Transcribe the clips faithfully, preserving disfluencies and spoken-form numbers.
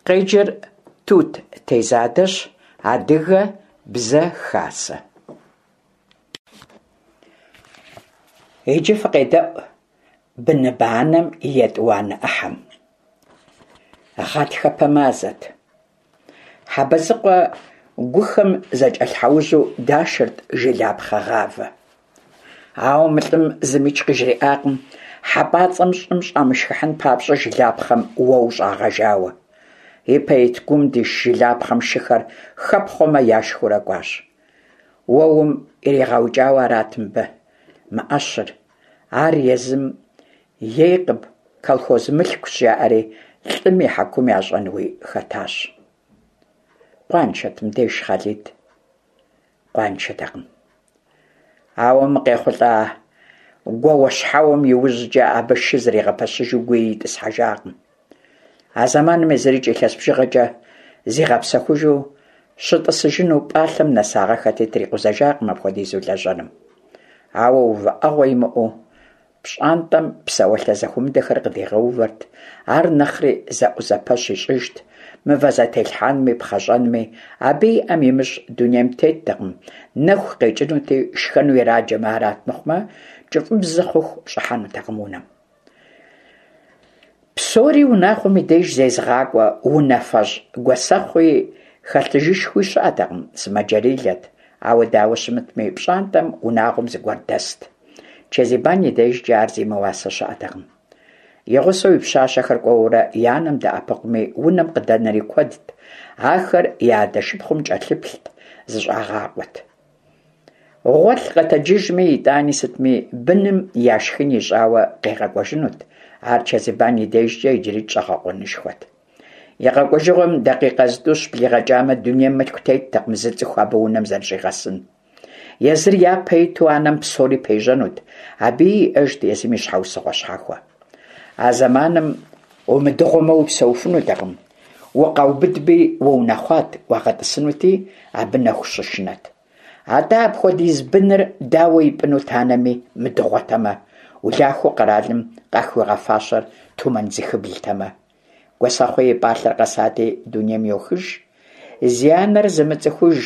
Къеджэр Тут Тезадэщ, Адыгэ Бзэ Хасэ. Иджы фыкъедэӏу быныбэ анэм и етӏуанэ ӏыхьэм. Гъатхэпэ мазэт. Хьэбэзыкъуэ гухэм зэкӏэлъхьэужьу дашырт жылапхъэ гъавэ. Ауэ мы лӏым зымикӏ къыжриӏакъым хьэпӏацӏэм щӏым щӏамышхыхьын папщӏэ жылапхъэм уэу щӏагъэжауэ. Ипэ ит гум диш жылапхъэм шыхэр хэпхъуэмэ яшхыурэ кӏуащ. Уэум иригъэукӏауэ арат мыбы мы ӏэщыр. Ар езым ейкъым, колхоз мылъкущ, жаӏэри лӏым и хьэкум ящӏэнуи хэтащ. Къуаншэт мыбдеж Хъалид? Къуаншэтэкъым. Ауэ мы къехъулӏа гуауэщхьэуэм иужькӏэ абы шы зэригъэпэщыжу гуи итӏысхьэжакъым. А зэманым езырикӏ илъэс бжыгъэкӏэ зигъэпсэхужу щытӏысыжыну пӏалъэм нэсагъэххэти, трикъузэжакъым апхуэдизу лэжьэным. Ауэ увыӏэгъуэ имыӏэу пщӏантӏэм псэуалъэ зэхуэмыдэхэр къыдигъэувэрт, ар нэхъри зэӏузэпэщ ищӏыжт, мывэ зэтелъхьэнми, пхъэщӏэнми, абы и ӏэм имыщӏ дунейм теттэкъым, нэху къекӏынути, шхэну ираджэмэ арат мыхъумэ, кӏыфӏыбзэ хъуху щӏыхьэнутэкъым унэм. Псори унагъуэм и деж зезыгъакӏуэ унафэщӏ гуэсэхъуи хэлъыжышхуи щыӏэтэкъым, сымаджэрилэт, ауэ дауэ щымытми, пщӏантӏэм унагъуэм зыгуэр дэст. Чэзибан и дежкӏэ ар зимыуасэ щыӏэтэкъым. И гъусэу и пщащэхэр кӏуэурэ и анэм дэӏэпыкъуми, унэм къыдэнэри куэдт, ахэр я адэ шыпхъум кӏэлъыплът, зыщӏагъакъуэт. Гъуэлъ къэтэджыжми, итӏани сытми, быным яшхын ищӏауэ къигъэкӏуэжынут. Ар Чэзибан и дежкӏэ иджырикӏ щӏэгъэкъуэнышхуэт. И къэкӏуэжыгъуэм дакъикъэ зытӏущ блигъэкӏамэ, дунейм мылъку теттэкъым зы цӏыху абы унэм зэрыщӏигъэсын. Езыр япэ иту анэм псори пежьэнут, абыи иӏэжт езым и щхьэусыгъуэ щхьэхуэ. А зэманым умыдыгъуэмэ упсэуфынутэкъым, укъаубыдми уунэхъуат, уагъэтӏысынути, абы нэху щышынэт. Атӏэ апхуэдиз быныр дауэ ипӏынут анэми, мыдыгъуэтэмэ, улахуэу къэралым къахуигъэфащэр тумэн зыхыблтэмэ. Гуэсэхъуи и пӏалъэр къэсати, дунейм йохыж. Зи анэр зымыцӏыхуж,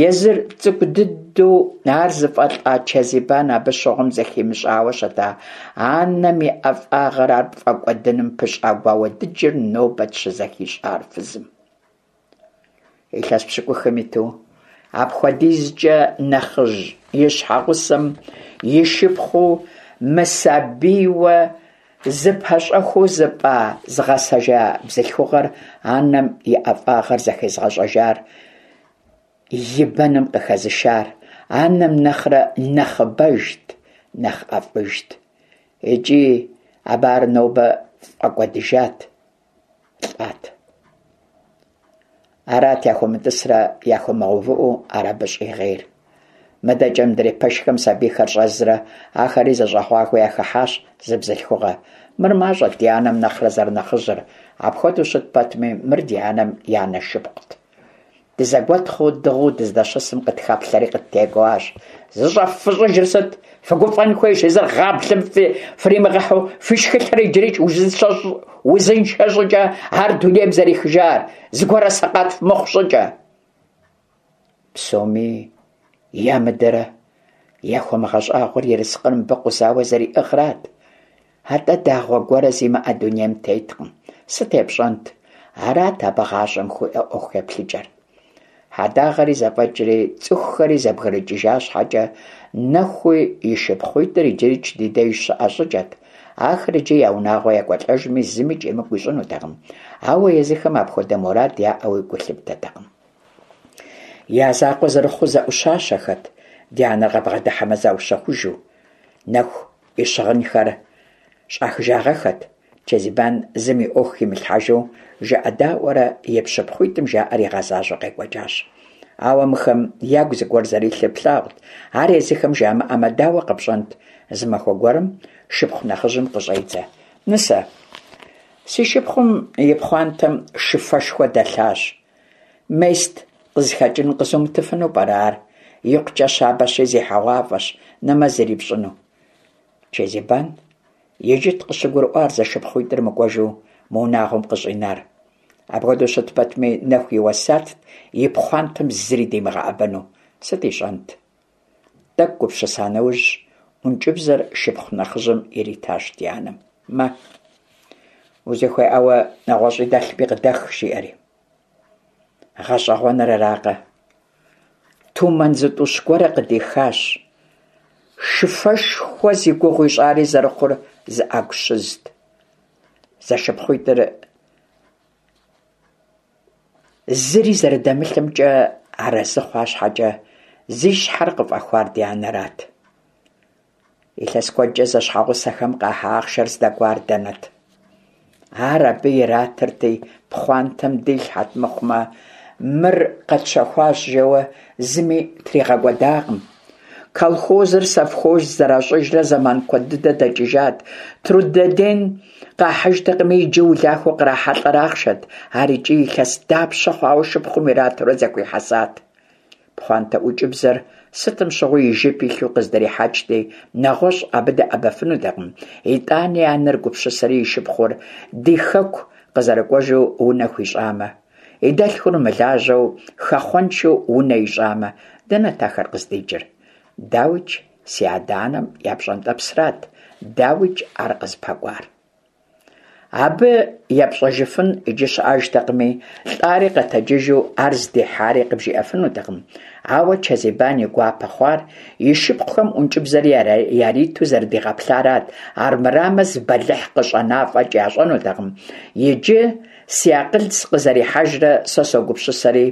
езыр цӏыкӏу дыдэу ар зыфӏэлӏа Чэзибан абы щыгъуэм зэхимыщӏауэ щыта анэм и ӏэфӏагъыр, ар пфӏэкӏуэдыным пыщӏа гуауэ дыджыр нобэт щызэхищӏар фызым. Илъэс пщыкӏухым иту, апхуэдизкӏэ нэхъыжь и щхьэгъусэм и шыпхъуу мысабийуэ зыпэщӏэхуэу зыпӏа, зыгъэсэжа бзылъхугъэр анэм и ӏэфӏагъэр зэхезыгъэщӏэжар, и бэным къыхэзышар, анэм нэхърэ нэхъыбэжт, нэхъ ӏэфӏыжт. Икӏи абы ар нобэ фӏэкӏуэдыжат, лӏат. Арат яхуэмытӏысрэ яхуэмыгъэувыӏэу ар абы щӏигъейр. Мыдэкӏэ мыдрей пэшхэм сабийхэр щӏэзрэ, ахэри зэщӏэгъуагэу яхыхьащ зы бзылъхугъэ. Мыр мащӏэт ди анэм нэхърэ зэрынэхъыжьыр, апхуэдэу щыт пэтми, мыр ди анэм и анэ шыпхъут. Дызэгуэтхъыу дыгъыу дыздэщысым къытхэплъэри къыттекӏуащ. ЗыщӀэффыщӏыжыр сыт? Фыгуфӏэн хуейщ, езыр гъаблэм фримыгъэхьу, фи шхылъэр иджырикӏ узыншэ щӏыкӏэ ар дунейм зэрехыжар, зыгуэрэ сэкъат фымыхъу щӏыкӏэ. Псоми ямыдэрэ яхуэмыгъэщӏагъуэр ерыскъыр мыбы къузауэ зэриӏыгърат. Атӏэ дагъуэ гуэрэ зимыӏэ дунейм теткъым. Сыт епщӏэнт? Арат абы гъащӏэм хуиӏэ ӏуэху еплъыкӏэр. Хьэдагъэри зэфӏэкӏри, цӏыхухэри зэбгрыкӏыжа щхьэкӏэ, Нэхуи и шыпхъуитӏыр иджырикӏ ди деж щыӏэ щӏыкӏэт. Ахэр иджы я унагъуэ екӏуэлӏэжми, зымикӏ емыкӏу ищӏынутэкъым, ауэ езыхэм апхуэдэ мурад яӏэуи гу лъыптэтэкъым. Я закъуэ зэрыхъуу зэӏущащэхэт, ди анэр къабгъэдыхьэмэ заущэхужу. Нэху и щыгъынхэр щӏахыжагъэххэт. Чэзибан зым и ӏуэху химылъхьэжу, жыӏэдаӏуэрэ и пщыпхъуитӏым жаӏэр игъэзащӏэу къекӏуэкӏащ. Ауэ мыхэм ягу зыгуэр зэрилъыр плъагъут, ар езыхэм жамыӏэмэ, дауэ къэпщӏэнт? Зы махуэ гуэрым шыпхъу нэхъыжьым къыщӏедзэ. Нысэ, си шыпхъум и пхъуантэм шыфэшхуэ дэлъащ. Мест къызыхэкӏын къызумытыфыну пӏэрэ ар? Икъукӏэ щабэщи зехьэгъуафӏэщ, нэмэз ирипщӏыну. Чэзибан иджыт къыщыгурыӏуар зэшыпхъуитӏыр мыкӏуэжу мы унагъуэм къыщӏинар. Апхуэдэу щыт пэтми, Нэху и уэсятт и пхъуантэм зыри димыгъэӏэбэну. Сыт ищӏэнт? Тӏэкӏу гупсыса нэужь, ӏункӏыбзэр шыпхъу нэхъыжьым иритащ ди анэм. Мэ, узыхуейӏауэ нэгъуэщӏи дэлъми къыдэх, жиӏэри. Гъэщӏэгъуэныр аракъэ, тумэн зытӏущ гуэрэ къыдихащ. Шыфэшхуэ зи гугъу ищӏари зэрыхъур зы ӏэгу щызт. Зэшыпхъуитӏыр зыри зэрыдэмылъымкӏэ арэзы хъуа щхьэкӏэ, зи щхьэр къыфӏэхуар ди анэрат. Илъэс куэдкӏэ зэщхьэгъусэхэм къахьа ахъшэр здэкӏуар дэнэт? Ар абы иратырти, пхъуантэм дилъхьэт мыхъумэ, мыр къэтщэхуащ жэуэ зыми тригъэкӏуэдакъым. Колхозыр совхоз зэращӏыжрэ зэман куэд дыдэ дэкӏыжат. Трудоден къахьыжтэкъыми, иджы улахуэу кърахьэлӏэр ахъшэт. Ар икӏи илъэс дапщэ хъуауэ шыпхъум иратурэ зэхуихьэсат. Пхъуантэ ӏункӏыбзэр сытым щыгъуи и жып илъу къыздрихьэкӏти, нэгъуэщӏ абы дэӏэбэфынутэкъым. Итӏани анэр гупсысэри и шыпхъур ди хэку къызэрыкӏуэжу унэ хуищӏамэ, и дэлъхур мылажьэу, хэхъуэншэу унэ ищӏамэ, дэнэт ахэр къыздикӏыр? Дауикӏ, си адэ-анэм я пщӏэнтӏэпсрат, дауикӏ, ар къызыпэкӏуар. Абы епщӏэжыфын иджы щыӏэжтэкъыми, лӏари къэтэджыжу ар здихьари къыбжиӏэфынутэкъым. Ауэ Чэзибан и гуапэ хъуар и шыпхъухэм ӏункӏыбзэр яриту зэрыдигъэплъарат, армырамэ зы бэлыхь къыщӏэна фӏэкӏ ящӏэнутэкъым. Иджы си акъыл сыкъызэрихьэжрэ сэ согупсысэри,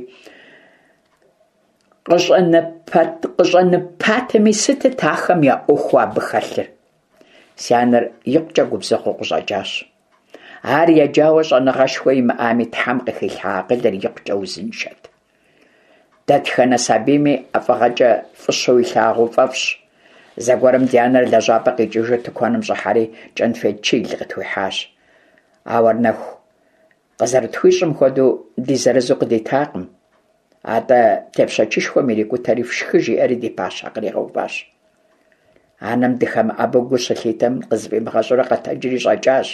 къыщӏэныпатэми сытыт ахэм я ӏуэхуу абы хэлъыр? Си анэр икъукӏэ губзыгъэу къыщӏэкӏащ. Ар еджауэ щӏэныгъэшхуэ имыӏами, Тхьэм къыхилъхьа акъылыр икъукӏэ узыншэт. Дэтхэнэ сабийми ӏэфӏыгъэкӏэ фӏыщэу илъагъуу фӏэфӏщ. Зэгуэрым ди анэр лэжьапӏэ къикӏыжу тыкуэным щӏыхьэри кӏэнфет чил къытхуихьащ. Ауэ ар Нэху къызэрытхуищӏым хуэдэу ди зырызу къыдитакъым. Атӏэ тепщэчышхуэм ирикӏутэри фшхы жиӏэри ди пащхьэ къригъэуващ. Анэм дыхэмыӏэбэу гу щылъитэм, къызыфӏимыгъэщӏурэ къэтэджри щӏэкӏащ.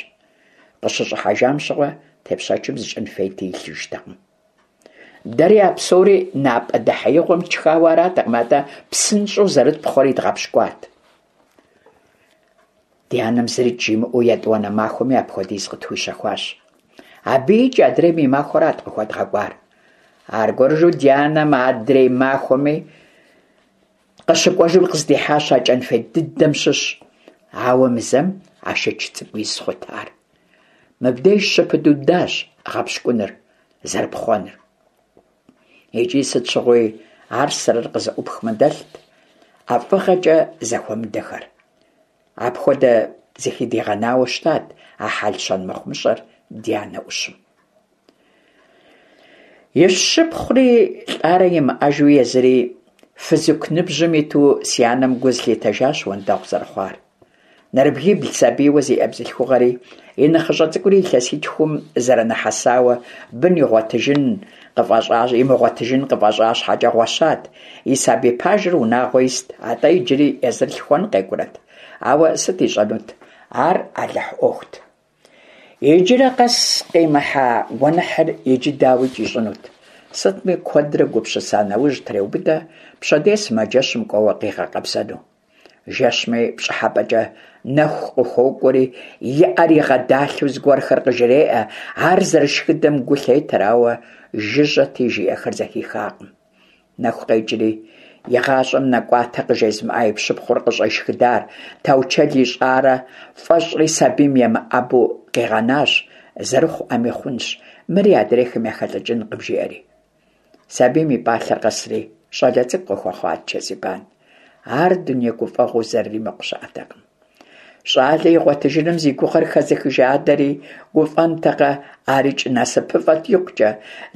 Къыщыщӏыхьэжам щыгъуэ тепщэчым зы кӏэнфети илъыжтэкъым. Дэри а псори напӏэ дэхьеигъуэм тшхауэ аратэкъым, атӏэ псынщӏэу зэрытпхъуэри дгъэпщкӏуат. Ди анэм зырикӏ жимыӏэу етӏуанэ махуэми апхуэдиз къытхуищэхуащ. Абыикӏ адрейм и махуэрат къыхуэдгъэкӏуар. Аргуэрыжу ди анэм адрей махуэми къыщыкӏуэжым къыздихьащ а кӏэнфет дыдэм щыщ. Ауэ мы зэм ашыч цӏыкӏу из хъут ар. Мыбдеж щыпыдудащ гъэпщкӏуныр, зэрыпхъуэныр. Икӏи сыт щыгъуи ар сэрэр къызэӏупхмэ дэлът ӏэфӏыгъэкӏэ зэхуэмыдэхэр. Апхуэдэ зыхыдигъэнауэ щытат а хьэл-щэн мыхъумыщӏэр ди анэ ӏущым. И шыпхъури лӏарэ имыӏэжу езыри фызыку ныбжьым иту си анэм гу зылъитэжащ уэндэгъу зэрыхъуар. Нэрыбгибл сабийуэ зиӏэ бзылъхугъэри, и нэхъыщӏэ цӏыкӏури илъэситхум зэрынэхьэсауэ бын игъуэтыжын къыфӏэщӏащ, имыгъуэтыжын къыфӏэщӏа щхьэкӏэ гъуэщат. И сабий пажэр унагъуэ ист, атӏэ иджыри езыр лъхуэн къекӏурэт. Ауэ сыт ищӏэнут? Ар Алыхь ӏуэхут. Иджырэ къэс къимыхьа гуэныхьыр иджы дауикӏ ищӏынут. Сытми куэдрэ гупсыса нэужь треубыдэ пщэдей сымаджэщым кӏуэуэ къигъэкъэбзэну. Жэщми пщӏыхьэпӏэкӏэ Нэху къыхуокӏуэри, и ӏэр игъэдалъэу зыгуэрхэр къыжреӏэ, ар зэрышхыдэм гу лъетэр, ауэ жыжьэти жиӏэхэр зэхихакъым. Нэху къекӏри, и гъащӏэм нэкӏуатэ къыжезымыӏа и пщыпхъур къыщӏешхыдар, таучэл ищӏарэ фӏэщӏри сабийм емыӏэбу къигъэнащ, зэрыхъу ӏэми хъунщ, мыри адрейхэм яхэлӏыкӏынкъым, жиӏэри. Сабийм и пӏалъэр къэсри, щӏалэ цӏыкӏу къыхуэхъуат Чэзибан. Ар дуней гуфӏэгъуэу зэрыримыкъу щыӏэтэкъым. Щӏалэ игъуэтыжыным зи гугъэр хэзыхыжа адэри гуфӏэнтэкъэ, арикӏ насыпыфӏэт икъукӏэ.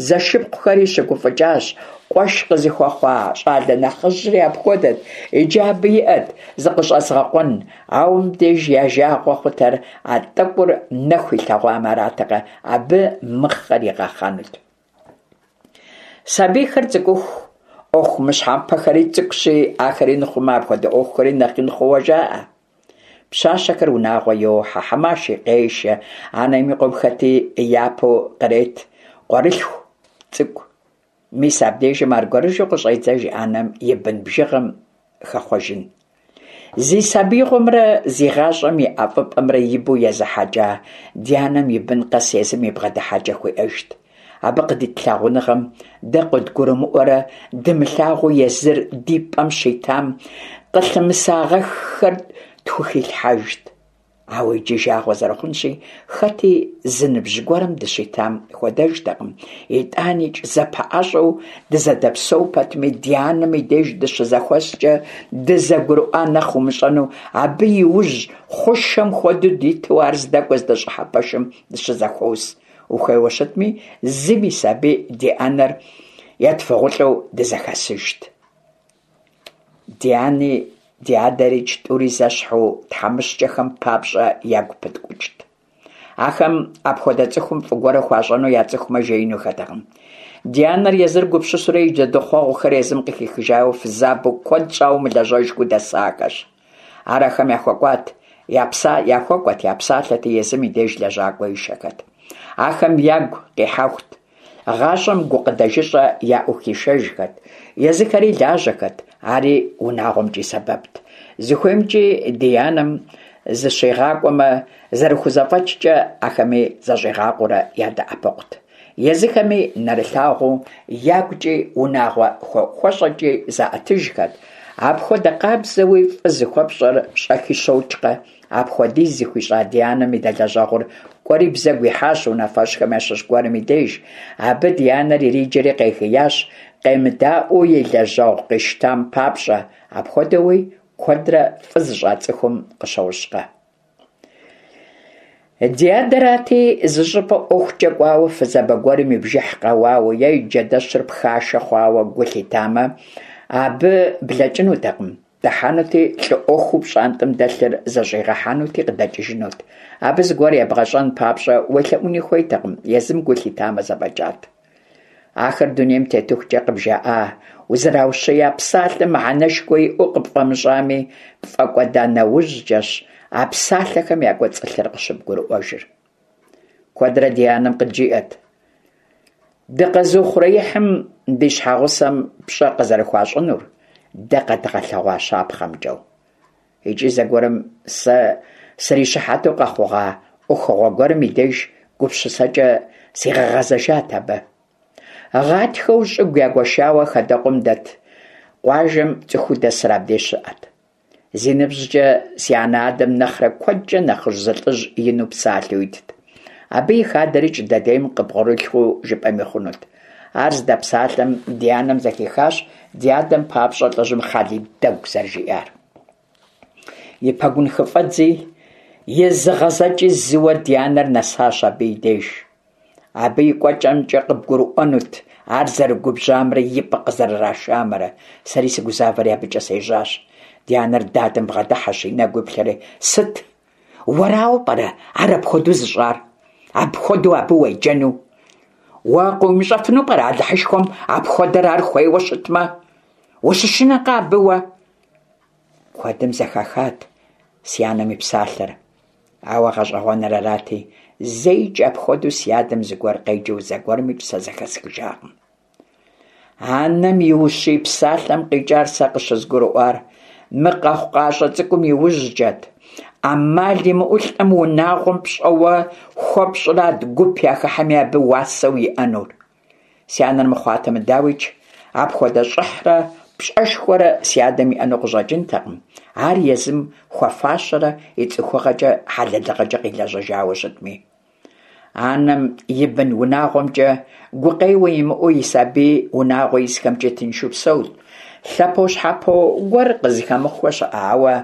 Зэшыпхъухэри щыгуфӏыкӏащ, къуэш къызыхуэхъуа щӏалэ нэхъыжьри апхуэдэт. Иджы абы иӏэт зыкъыщӏэзгъэкъуэн, ауэ мыбдеж я жагъуэ хъутэр а тӏэкӏур Нэху илъэгъуам аратэкъэ, абы мыхъэр игъэхъэнут. Сабийхэр цӏыкӏуху, ӏуэху мыщхьэмыпэхэри цӏыкӏущи, ахэр ин хъумэ, апхуэдэ ӏуэхухэри нэхъ ин хъууэ жаӏэ. Пщащэхэр унагъуэ йохьэ, хьэмаши къешэ, анэм и къуэм хэти япэу кърет. къуэрылъху цӏыкӏу. Мис абдежым аргуэрыжьу къыщӏедзэж анэм и бын бжыгъэм хэхъуэжын. Зи сабиигъуэмрэ зи гъащӏэм и ӏэфӏыпӏэмрэ ибэу езыхьэкӏа ди анэм и бын къэс езым и бгъэдыхьэкӏэ хуиӏэжт. Абы къыдит лъагъуныгъэм дэ къыдгурымыӏуэрэ дымылъагъуу езыр ди пӏэм щитам къылъымысагъэххэр тхухилъхьэжт. Ауэ иджы жагъуэ зэрыхъунщи, хэти зы ныбжь гуэрым дыщитам хуэдэжтэкъым. ИтӀаникӀ зэпэӀэщӀэу дызэдэпсэу пэтми, ди анэм и деж дыщызэхуэскӀэ дызэгурыӀуа нэхъ умыщӀэну, абы и ужь хъушэм хуэдэу диту ар здэкӀуэ здэщӀыхьэ пэшым дыщызэхуос. Ухуейуэ щытми, зым и сабий ди анэр етфыгъулӀэу дызэхэсыжт. Ди ани ди адэрикӀ тӀури зэщхьу тхьэмыщкӀэхэм папщӀэ ягу пыткӀукӀт. Ахэм апхуэдэ цӀыхум фӀы гуэрэ хуащӀэну яцӀыхумэ, жеинухэтэкъым. Ди анэр езыр гупсысэурэ и джэдыхъуэгъухэр езым къыхихыжауэ фызабэу куэд щӀауэ мылэжьэжхэу дэсахэщ. Ар ахэм яхуэкӀуат, я пса яхуэкӀуэт, я псалъэти, езым и деж лэжьакӀуэ ишэхэт. Ахэм ягу къихьэхут, гъащӀэм гукъыдэжыщӀэ яӀэу хишэжхэт, езыхэри лажьэхэт, ари унагъуэмкӀи сэбэпт. ЗыхуеймкӀи ди анэм зыщигъакӀуэмэ, зэрыхузэфӀэкӀкӀэ ахэми зыщӀигъакъуэурэ ядэӀэпыкъут. Езыхэми нэрылъагъуу ягукӀи унагъуэ хуэӀухуэщӀэкӀи заӀэтыжхэт. Апхуэдэ къабзэуи фӀы зыхуэпщӀэр щӀэхи щокӀкъэ, апхуэдиз зыхуищӀа ди анэм и дэлэжьэгъур кӀуэри бзэгу ихьащ унафэщӀхэм ящыщ гуэрым и деж. Абы ди анэр ириджэри къегиящ, къемыдаӀуэу и лэжьэгъу къищтам папщӀэ. Апхуэдэуи куэдрэ фӀы зыщӀа цӀыхум къыщощӀкъэ. Ди адэрати, зыщӀыпӀэ ӀуэхукӀэ кӀуауэ фызабэ гуэрым и бжыхь къэуауэ е и джэдэщыр пхашэ хъуауэ гу лъитамэ, абы блэкӀынутэкъым. Дыхьэнути, лӀы Ӏуэхуу пщӀантӀэм дэлъыр зэщӀигъэхьэнути къыдэкӀыжынут. Абы зыгуэр ебгъэщӀэн папщӀэ уелъэӀуни хуейтэкъым, езым гу лъитамэ зэфӀэкӀат. Ахэр дунейм тетыхукӀэ къыбжаӀа, узэраущия псалъэм мыхьэнэшхуэ иӀэу къыпфӀэмыщӀами, пфӀэкӀуэда нэужькӀэщ а псалъэхэм якӀуэцӀылъыр къыщыбгурыӀуэжыр. Куэдрэ ди анэм къыджиӀэт дыкъэзыухъуреихьым ди щхьэгъусэм пщӀэ къызэрыхуащӀынур дэ къэдгъэлъэгъуа щапхъэмкӀэ. ИкӀи зэгуэрым сэ срищыхьэту къэхъугъа Ӏуэхугъуэ гуэрым и деж гупсысэкӀэ сигъэгъэзэжат абы. Гъатхэу щӀыгу ягуэшауэ хадэкъум дэт къуажэм цӀыхуу дэсыр абдеж щыӀэт. Зи ныбжькӀэ си анэ-адэм нэхърэ куэдкӀэ нэхъыжь зы лӀыжь ину псалъэу итт. Абы и хадэрикӀ дэдейм къыбгъурылъу жыпӀэми хъунут. Ар здэпсалъэм ди анэм зэхихащ ди адэм папщӀэ лӀыжьым Хъалид дэгу зэрыжиӀар. И пэгун хыфӀэдзи, и зыгъэзэкӀи зыуэ ди анэр нэсащ абы и деж. Абы и кӀуэкӀэмкӀэ къыбгурыӀуэнут ар зэрыгубжьамрэ и пӀэ къызэрырашамрэ. Сэри сыгузавэри абыкӀэ сежьащ. Ди анэр дадэм бгъэдыхьэщ, и нэгу иплъэри, «Сыт? Уэрауэ пӀэрэ ар апхуэдэу зыщӀар? Апхуэдэу абы уеджэну? Уэ къыумыщӀэфыну пӀэрэ Алыхьышхуэм апхуэдэр ар хуейуэ щытмэ? Ущышынэкъэ абы уэ?» Куэдым зэхахат си анэм и псалъэр. Ауэ гъэщӀэгъуэныр арати, зэикӀ апхуэдэу си адэм зыгуэр къеджэу зэгуэрымикӀ сэ зэхэсхыжакъым. Анэм и ущий псалъэм къикӀар сэ къыщызгурыӀуар мы къэхъукъащӀэ цӀыкӀум и ужькӀэт. Ӏэмал имыӀэу лӀым унагъуэм пщӀэуэ хуэпщӀырат гуп яхыхьэми абы уасэу иӀэнур. Си анэр мыхъуатэмэ, дауикӀ, апхуэдэ щӀыхьрэ пщӀэшхуэрэ си адэм иӀэну къыщӀэкӀынтэкъым, ар езым хуэфащэрэ и цӀыхугъэкӀэ, хьэлэлыгъэкӀэ къилэжьыжауэ щытми. Анэм и бын унагъуэмкӀэ гукъеуэ имыӀэу и сабий унагъуэ исхэмкӀи тыншу псэут. Лъэпощхьэпо гуэр къызыхэмыхуэ щыӀэ, ауэ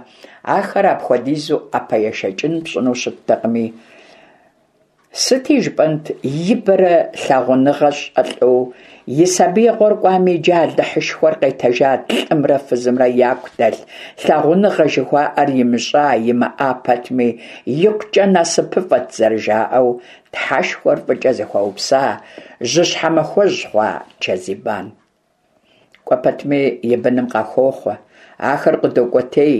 ахэр апхуэдизу ӀэпэешэкӀын пщӀыну щыттэкъыми, сыти жыпӀэнт, ибэрэ лъагъуныгъэ щӀэлӀэу и сабиигъуэр кӀуами, иджы Алыхьышхуэр къетэжат лӀымрэ фызымрэ яку дэлъ лъагъуныгъэ жыхуаӀэр имыщӀа, имыӀа пэтми, икъукӀэ насыпыфӀэт зэрыжаӀэу, Тхьэшхуэр фӀыкӀэ зыхуэупса, жьыщхьэмахуэжь хъуа Чэзибан. КӀуэ пэтми и быным къахохъуэ, Ахэр къыдокӀуэтей.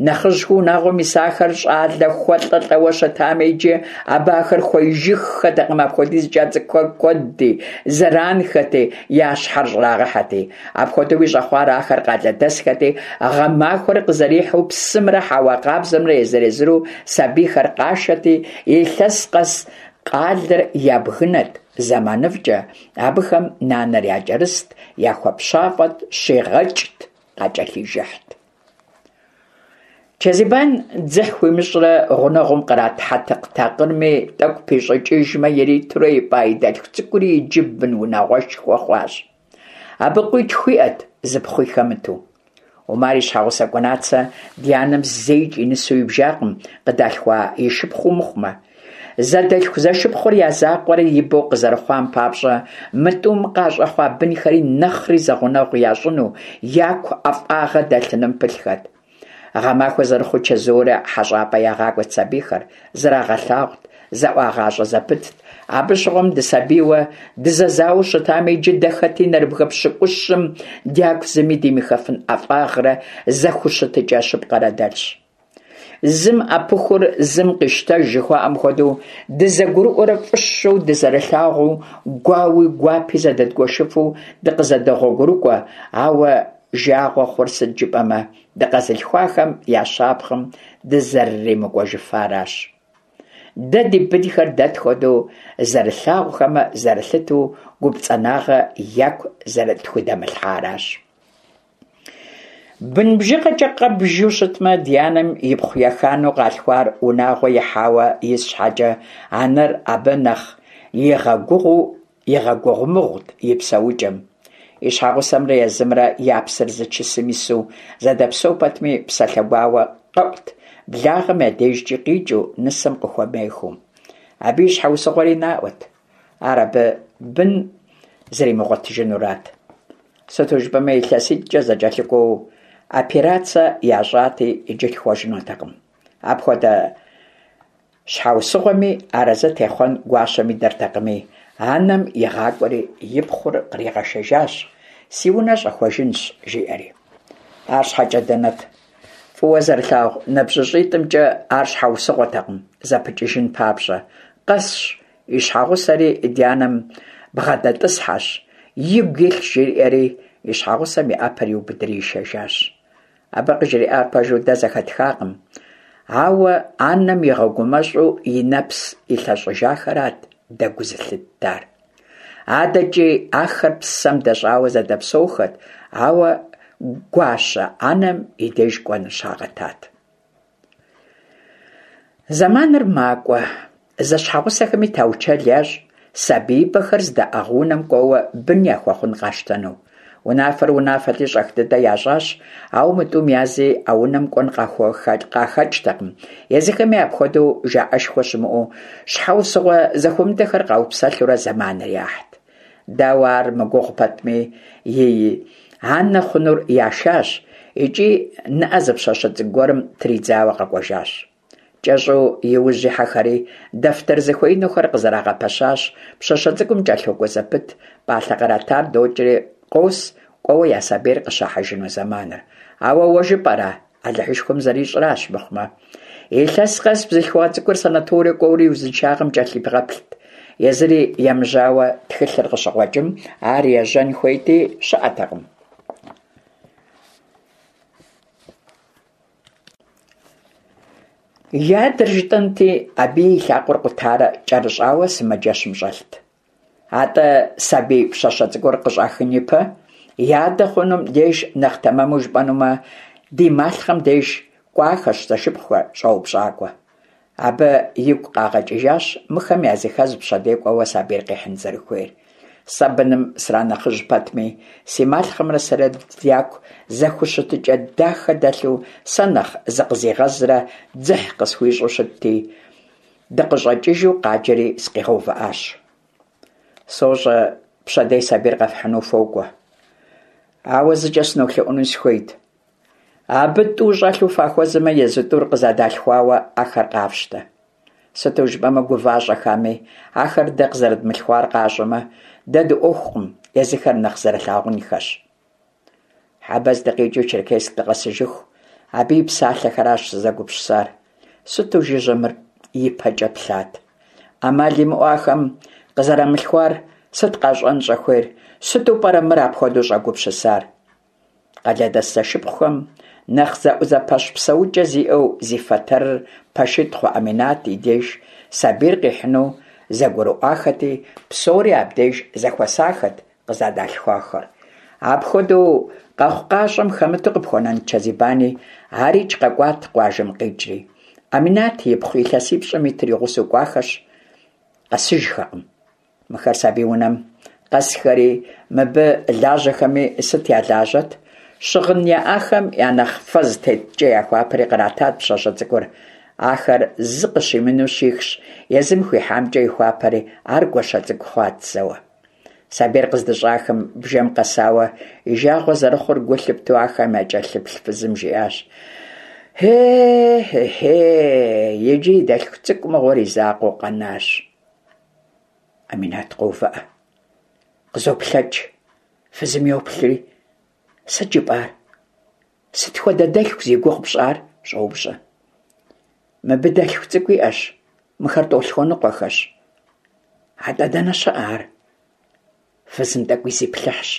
Нэхъыжьхэу унагъуэм исахэр щӀалэ хуэлӀэ лӀэуэ щытами, иджы абы ахэр хуеижыххэтэкъым, апхуэдизкӀэ цӀыкӀухэр куэдти, зэранхэти, я щхьэр щӀрагъэхьэти. Апхуэдэуи щӀэхъуар ахэр къалэдэсхэти, гъэмахуэр къызэрихьэу псымрэ хьэуа къабзэмрэ езыр-езыру сабийхэр къашэти, илъэс къэс къалэр ябгынэт зэманыфӀкӀэ, абыхэм нанэр якӀэрыст, яхуэпщафӀэт, щигъэкӀт, къакӀэлъижыхьт. Чэзибан дзыхь хуимыщӀрэ гъунэгъум кърат хьэтыкъ такъырми тӀэкӀу пищӀыкӀыжмэ иритурэ ипӀа и дэлъху цӀыкӀури иджы бын унагъуэшхуэ хъуащ. Абы къуитху иӀэт, зы пхъуи хэмыту. Умар и щхьэгъусэ КӀунацэ ди анэм зэикӀ и нысэу ибжакъым, къыдалъхуа и шыпхъуу мыхъумэ. Зэдэлъху-зэшыпхъур я закъуэрэ ибэу къызэрыхъуам папщӀэ, мы тӀум къащӀэхъуа бынхэри нэхъри зэгъунэгъу ящӀыну, яку ӀэфӀагъэ дэлъыным пылъхэт. Гъэмахуэ зэрыхъуу чэзуурэ хьэщӀапӀэ ягъакӀуэт сабийхэр, зрагъэлъагъут, зэӀуагъащӀэ зэпытт. Абы щыгъуэм дысабийуэ дызэзауэу щытами, иджы дэ хэти нэрыбгэ пщыкӀущым дяку зыми димыхыфын ӀэфӀагърэ зэхущытыкӀэ щыпкъэрэ дэлъщ. Зым Ӏэпыхур зым къищтэж жыхуаӀэм хуэдэу, дызэгурыӀуэрэ фӀыщэу дызэрылъагъуу, гуауи гуапи зэдэдгуэшыфу дыкъызэдогъуэгурыкӀуэ, ауэ жагъуэ хъур сыт жыпӀэмэ, дыкъэзылъхуахэм я щапхъэм дызэрыримыкӀуэжыфаращ. Дэ ди бынхэр дэ тхуэдэу зэрылъагъухэмэ, зэрылъытэу, гупцӀанагъэ яку зэрытхудэмылъхьаращ. Бын бжыгъэкӀэ къэббжу щытмэ, ди анэм ипхъу еханэу къалъхуар унагъуэ ихьауэ ис щхьэкӀэ, анэр абы нэхъ игъэгугъуу игъэгугъумыгъут и псэукӀэм. И щхьэгъусэмрэ езымрэ я псэр зы чысым ису зэдэпсэу пэтми, псалъэ гуауэ къэӀут, благъэм я дежкӀи къикӀыу, нысэм къыхуэмехыу. Абы и щхьэусыгъуэри наӀуэт: ар абы бын зэримыгъуэтыжынурат. Сыту жыпӀэмэ, илъэситӀкӀэ зэкӀэлъыкӀуэу операцэ ящӀати, иджы лъхуэжынутэкъым. Апхуэдэ щхьэусыгъуэми арэзы техъуэн гуащэм идэртэкъыми, анэм игъакӀуэри и пхъур къригъэшэжащ, си унэ щӀэхуэжынщ, жиӀэри. АрщхьэкӀэ дэнэт? ФӀыуэ зэрылъагъу ныбжьыщӀитӀымкӀэ ар щхьэусыгъуэтэкъым зэпыкӀыжын папщӀэ. Къэсщ, и щхьэгъусэри ди анэм бгъэдэтӀысхьэщ, игу илъ жриӀэри, и щхьэгъусэм и Ӏэпэр иубыдри ишэжащ. Абы къыжриӀар пэжу дэ зэхэтхакъым, ауэ анэм игъэгумэщӀу и нэпс илъэщӀыжахэрат дэ гу зылъыттар. АдэкӀи ахэр псэм дэщӀауэ зэдэпсэухэт, ауэ гуащэ анэм и деж кӀуэныр щагъэтат. Зэманыр макӀуэ. Зэщхьэгъусэхэми таучэл ящӀ сабиибэхэр здаӀыгъ унэм кӀуэуэ бын яхуэхъун къащтэну. Унафэр унафэти, щӀэх дыдэ ящӀащ, ауэ мы тӀум язи а унэм кӀуэн къахэкӀтэкъым, езыхэми апхуэдэу жаӀэшхуэ щымыӀэу, щхьэусыгъуэ зэхуэмыдэхэр къаупсэлъурэ зэманыр яхьт. Дауэ ар мыгугъу пэтми, и анэ хъунур яшащ икӀи ныӀэ зы пщащэ цӀыкӀу гуэрым тридзауэ къэкӀуэжащ. КӀэщӀу и ужь ихьэхэри, дэфтэр зыхуеинухэр къызэрагъэпэщащ, пщащэ цӀыкӀум кӀэлъокӀуэ зэпыт, пӀалъэ къратар докӀри къос кӀуэуэ я сабийр къыщахьыжыну зэманыр. Ауэ уэ жыпӀэра, Алыхьышхуэм зэрищӀращ мыхъумэ. Илъэс къэс бзылъхугъэ цӀыкӀур санаторэ кӀуэурэ и узыншагъэм кӀэлъибгъэплът. Езыри емыжьауэ тхылъыр къыщыкъуэкӀым, ар ежьэн хуейти, щыӀэтэкъым. И адэр жытӀэнти, абыи и лъакъуэр къутарэ кӀэрыщӀауэ сымаджэщым щӀэлът. АтӀэ сабий пщащэ цӀыкӀур къыщӀахын ипэ, и адэ хъунум деж, нэхъ тэмэму жыпӀэнумэ, ди малъхъэм деж кӀуахэщ зэшыпхъухэр щӀэупщӀакӀуэ. Абы игу къагъэкӀыжащ мыхэм языхэз пщэдей кӀуэуэ сабийр къихьын зэрыхуейр. Сэ быным сранэхъыжь пэтми, си малъхъэмрэ сэрэ дяку зэхущытыкӀэ дахэ дэлъу, сэ нэхъ зыкъызигъэзрэ дзыхь къысхуищӀу щытти, дыкъыщӀэкӀыжу къаджэри сыкъигъэувыӀащ. СощӀэ, пщэдей сабийр къэфхьыну фокӀуэ. Ауэ зыкӀэ сынолъэӀуну сыхуейт. Абы тӀу щӀэлъу фахуэзэмэ, езы тӀур къызэдалъхуауэ ахэр къафщтэ. Сыту жыпӀэмэ, гува-щӀэхами, ахэр дэ къызэрыдмылъхуар къащӀэмэ, дэ дыӀуэхукъым, езыхэр нэхъ зэрылъагъунхэщ. Хьэбэз дыкъикӏыу Черкесск дыкъэсыжыху, абы и псалъэхэращ сызэгупсысар. Сыту жыжьэ мыр ипэкӏэ плъат. Ӏэмал имыӏэу ахэм къызэрамылъхуар сыт къащӏэн щӏэхуейр, сыту пӏэрэ мыр апхуэдэу щӏэгупсысар? Къалэдэс зэшыпхъухэм нэхъ зэӏузэпэщ псэукӏэ зиӏэу зи фэтэрыр пэшитӏ хъу Ӏэминат и деж сабийр къихьыну зэгурыӏуахэти, псори абдеж зэхуэсахэт къызэдалъхуахэр. Апхуэдэу къэхъукъащӏэм хэмыту къыпхуэнэнт Чэзибани, арикӏ къэкӏуат къуажэм къикӏри. Ӏэминат ипхъу илъэсипщӏым итыр и гъусэу кӏуахэщ, къэсыжхэкъым. Мыхэр сабий унэм къэсхэри, мыбы лажьэхэми сыт я лажьэт? Щыгъын яӏахэм я нэхъ фэ зытеткӏэ яхуапэри къратат пщащэ цӏыкӏур. Ахэр зы къыщимынэу щихщ, езым хуихьамкӏэ ихуапэри, ар гуащэ цӏыкӏу хъуат зэуэ. Сабийр къыздыщӏахым бжэм къэсауэ и жагъуэ зэрыхъур гу лъыптэу ахэм якӏэлъыплъ фызым жиӏащ: «Хе-хе-хе, иджы и дэлъху цӏыкӏу мыгъуэр и закъуэу къэнащ». Ӏэминат къоувыӏэ, къызоплъэкӏ, фызым йоплъри: «Сыт жыпӏар? Сыт хуэдэ дэлъху зи гугъу пщӏар?» – щӏоупщӏэ. «Мыбы дэлъху цӏыкӏу иӏэщ, мыхэр тӏолъхуэныкъуэхэщ». «Атӏэ дэнэ щыӏэ ар?» Фызым тӏэкӏуи зиплъыхьщ,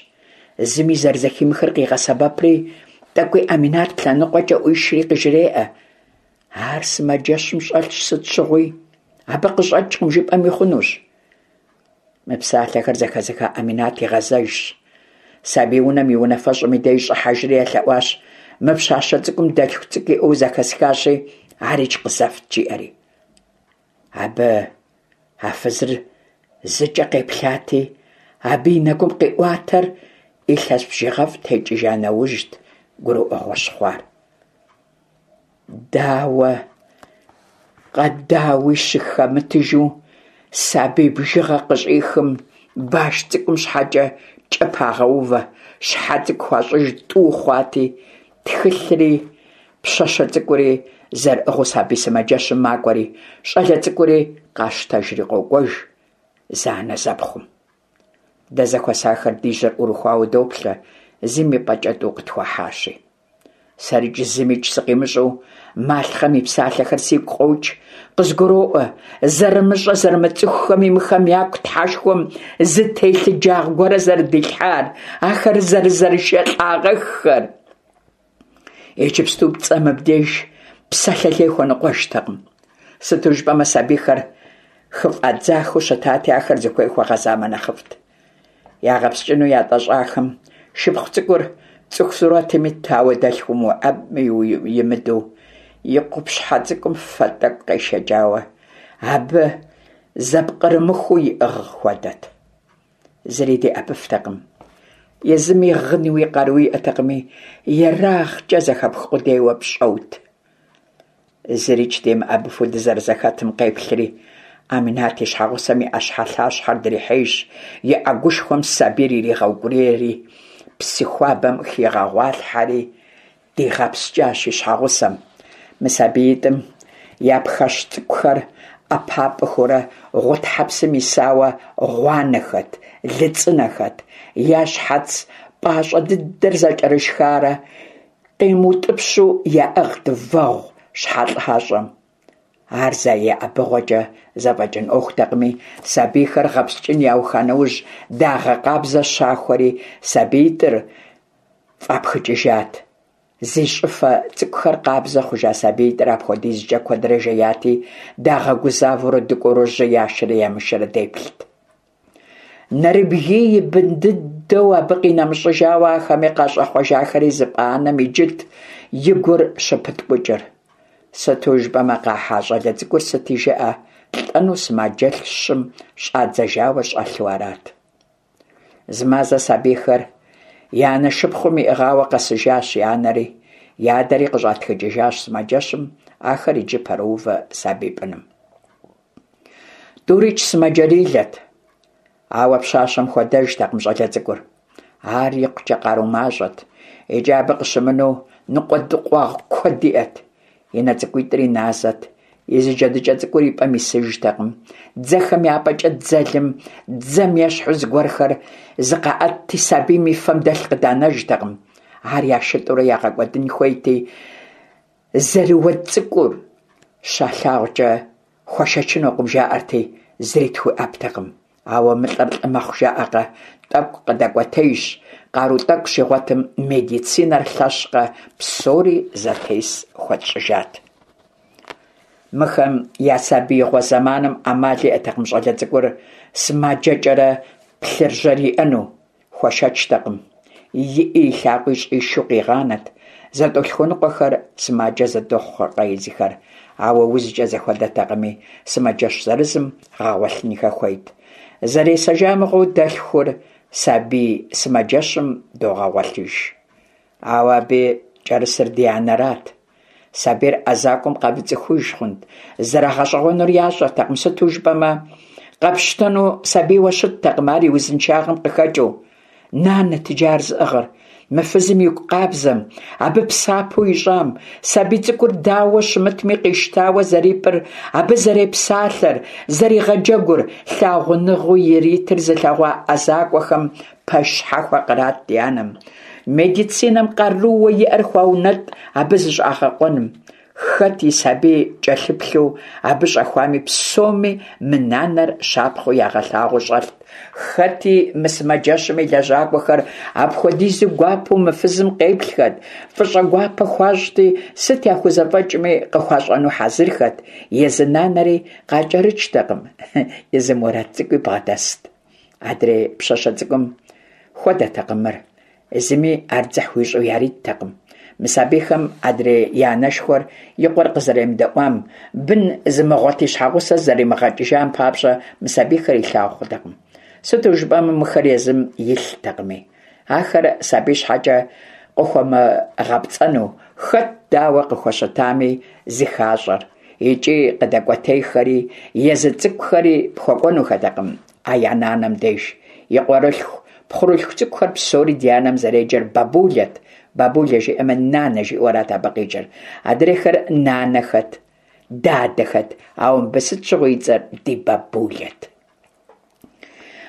зыми зэрызэхимыхыр къигъэсэбэпри, тӏэкӏуи Ӏэминат лъэныкъуэкӏэ ӏуишри къыжреӏэ: «Ар сымаджэщым щӏэлъщ сыт щыгъуи, абы къыщӏэкӏкъым жыпӏэми хъунущ». Мы псалъэхэр зэхэзыха Ӏэминат игъэзэжщ, сабий унэм и унафэщӏым и деж щӏыхьэжри елъэӏуащ: «Мы пщащэ цӏыкӏум дэлъху цӏыкӏу иӏэу зэхэсхащи, арикӏ къызэфт», жиӏэри. Абы а фызыр зыкӏэ къеплъати, абы и нэгум къиӏуатэр илъэс бжыгъэфӏ текӏыжа нэужьт гурыӏуэгъуэ щыхъуар. Дауэ къэдауи щыхэмытыжу сабий бжыгъэ къыщӏихым баш цӏыкӏум щхьэкӏэ кӏэ пагъэувэ, щхьэ цӏыкӏу хуащӏыж тӏу хъуати, тхылъри пщащэ цӏыкӏури зэрыӏыгъыу сабий сымаджэщым макӏуэри, щӏалэ цӏыкӏури къащтэжри къокӏуэж зэанэзэпхъум. Дэ зэхуэсахэр ди жьэр ӏурыхуауэ доплъэ, зым и пӏэкӏэ тӏу къытхуахьащи. Сэрикӏ зымикӏ сыкъимыщӏэу малъхъэм и псалъэхэр сигу къокӏ, къызгуроӏуэ, зэрымыщӏэ зэрымыцӏыхухэми мыхэм яку Тхьэшхуэм зы телъыджагъ гуэрэ зэрыдилъхьар, ахэр зэрызэрышэлӏагъэххэр. Иджыпсту пцӏэ мыбдеж псалъэ лей хуэныкъуэжтэкъым. Сыту жыпӏэмэ сабийхэр хыфӏадзахэу щытати, ахэр зыхуей хуэгъэзамэ нэхъыфӏт. Ягъэпскӏыну ятӏэщӏахэм шыпхъу цӏыкӏур цӏыху сурэтым итт, ауэ дэлъхум уеӏэбми имыдэу, и къупщхьэ цӏыкӏум фэ тӏэкӏу къешэкӏауэ, абы зэпкърымыхуу иӏыгъ хуэдэт. Зыри деӏэбыфтэкъым. Езыми гъынуи къару иӏэтэкъыми, ерагъкӏэ зэхэпх къудейуэ пщӏэут. Зырикӏ демыӏэбыфу дызэрызэхэтым къеплъри, Ӏэминат и щхьэгъусэм и ӏэщхьэлъащхьэр дрихьейщ, и ӏэгушхуэм сабийр иригъэукӏурийри, псы хуабэм хигъэгъуалъхьэри дигъэпскӏащ и щхьэгъусэм. Мы сабиитӏым я пхэщ цӏыкӏухэр ӏэпапӏэхэурэ гъутхьэпсым исауэ гъуанэхэт, лыцӏынэхэт, я щхьэц пӏащӏэ дыдэр зэкӏэрышхарэ къимыутӏыпщу яӏыгът вэгъу щхьэлӏащӏэм. Ар зэ еӏэбыгъуэкӏэ зэфӏэкӏын ӏуэхутэкъыми, сабийхэр гъэпскӏын яуха нэужь, дагъэ къабзэ щахуэри, сабиитӏыр фӏапхыкӏыжат. Зи щӏыфэ цӏыкӏухэр къабзэ хъужа сабиитӏыр апхуэдизкӏэ куэдрэ жеяти, дагъэгузавэурэ дыкӏуэурэ жьы яшэрэ ямышэрэ деплът. Нэрыбгий и бын дыдэу абы къинэмыщӏыжауэ ахэми къащӏэхъуэжахэри зыпӏа анэм иджыт и гур щыпыткӏукӏыр. Сыту жыпӏэмэ къахьа щӏалэ цӏыкӏур сыти жыӏэ, лӏэну сымаджэщым щӏадзэжауэ щӏэлъу арат. Зы мазэ сабийхэр я анэ шыпхъум иӏыгъауэ къэсыжащ я анэри, я адэри къыщӏатхыкӏыжащ сымаджэщым, ахэр иджы пэроувэ сабий пӏыным. Тӏурикӏ сымаджэрилэт, ауэ пщащэм хуэдэжтэкъым щӏалэ цӏыкӏур. Ар икъукӏэ къару мащӏэт, икӏи абы къыщымынэу ныкъуэдыкъуагъ куэд иӏэт. И нэ цӏыкӏуитӏри назэт, и зы джэдыкӏэ цӏыкӏур и пӏэм исыжтэкъым. Дзэхэм я пӏэкӏэ дзэлым дзэм ещхьу зыгуэрхэр зыкъаӏэтти, сабийм и фэм дэлъ къыданэжтэкъым. Ар яшытӏурэ ягъэкӏуэдын хуейти, зэрыуэд цӏыкӏур щалъагъукӏэ хуэшэчынукъым жаӏэрти, зыри тхуеӏэптэкъым. Ауэ мылӏэр лӏы мэхъу жаӏэкъэ, тӏэкӏу къыдэкӏуэтейщ, къару тӏэкӏу щигъуэтым, медицинэр лъэщкъэ, псори зэтес хуэтщӏыжат. Мыхэм я сабиигъуэ зэманым ӏэмал иӏэтэкъым щӏалэ цӏыкӏур сымаджэкӏэрэ плъыржьэр иӏэну. Хуэшэчтэкъым. И ӏи и лъакъуи щӏишу къигъанэт. Зэтӏолъхуэныкъуэхэр сымаджэ зэдэхъухэркъэ езыхэр, ауэ узкӏэ зэхуэдэтэкъыми, сымаджэщ зырызым гъэгъуэлъынхэ хуейт. Зэресэжа мыгъуэу дэлъхур сабий сымаджэщым догъэгъуэлъыж. Ауэ абы кӏэрысыр ди анэрат. Сабийр ӏэзакӏуэм къамыцӏыхуж хъунт, зэрагъэщӏэгъуэнур ящӏэртэкъым, сыту жыпӏэмэ, къэпщтэну сабийуэ щыттэкъым ар и узыншагъэм къыхэкӏыу. Нанэт иджы ар зыӏыгъыр. Мы фызым игу къабзэм, абы псапэу ищӏам, сабий цӏыкӏур дауэ щымытми къищтауэ зэрипӏыр, абы зэрепсалъэр, зэригъэджэгур, лъагъуныгъэу иритыр зылъэгъуа ӏэзакӏуэхэм пэш щхьэхуэ кърат ди анэм. Медицинэм къарууэ иӏэр хуаунэтӏ абы зыщӏагъэкъуэным. Хэт и сабий кӏэлъыплъу абы щӏэхуами, псоми мы нанэр щапхъэу ягъэлъагъуэу щӏэлът. Хэти мы сымаджэщым и лэжьакӏуэхэр апхуэдизу гуапэу мы фызым къеплъхэт, фӏыщӏэ гуапэ хуащӏти, сыт яхузэфӏэкӏми къыхуащӏэну хьэзырхэт. Езы нанэри къакӏэрыкӏтэкъым, езы Мурат цӏыкӏуи бгъэдэст. Адрей пщащэ цӏыкӏум хуэдэтэкъым мыр. Зыми ар дзыхь хуищӏу яриттэкъым. Мы сабийхэм адрей я анэшхуэр и къуэр къызэремыдэӏуам, бын зымыгъуэт и щхьэгъусэр зэримыгъэкӏыжам папщӏэ мы сабийхэр илъагъу хъутэкъым. Сыту жыпӏэмэ, мыхэр езым илътэкъыми. Ахэр сабий щхьэкӏэ къыхуэмыгъэпцӏэну, хэт дауэ къыхуэщытами зыхащӏэр. Икӏи къыдэкӏуэтейхэри, езы цӏыкӏухэри пхуэкӏуэнухэтэкъым а я нанэм деж. И къуэрылъху, пхъурылъху цӏыкӏухэр псори ди анэм зэреджэр бабулэт. Бабулэ жиӏэмэ, нанэ жиӏэу арат абы къикӏыр. Адрейхэр нанэхэт, дадэхэт, ауэ мыбы сыт щыгъуи и цӏэр ди бабулэт.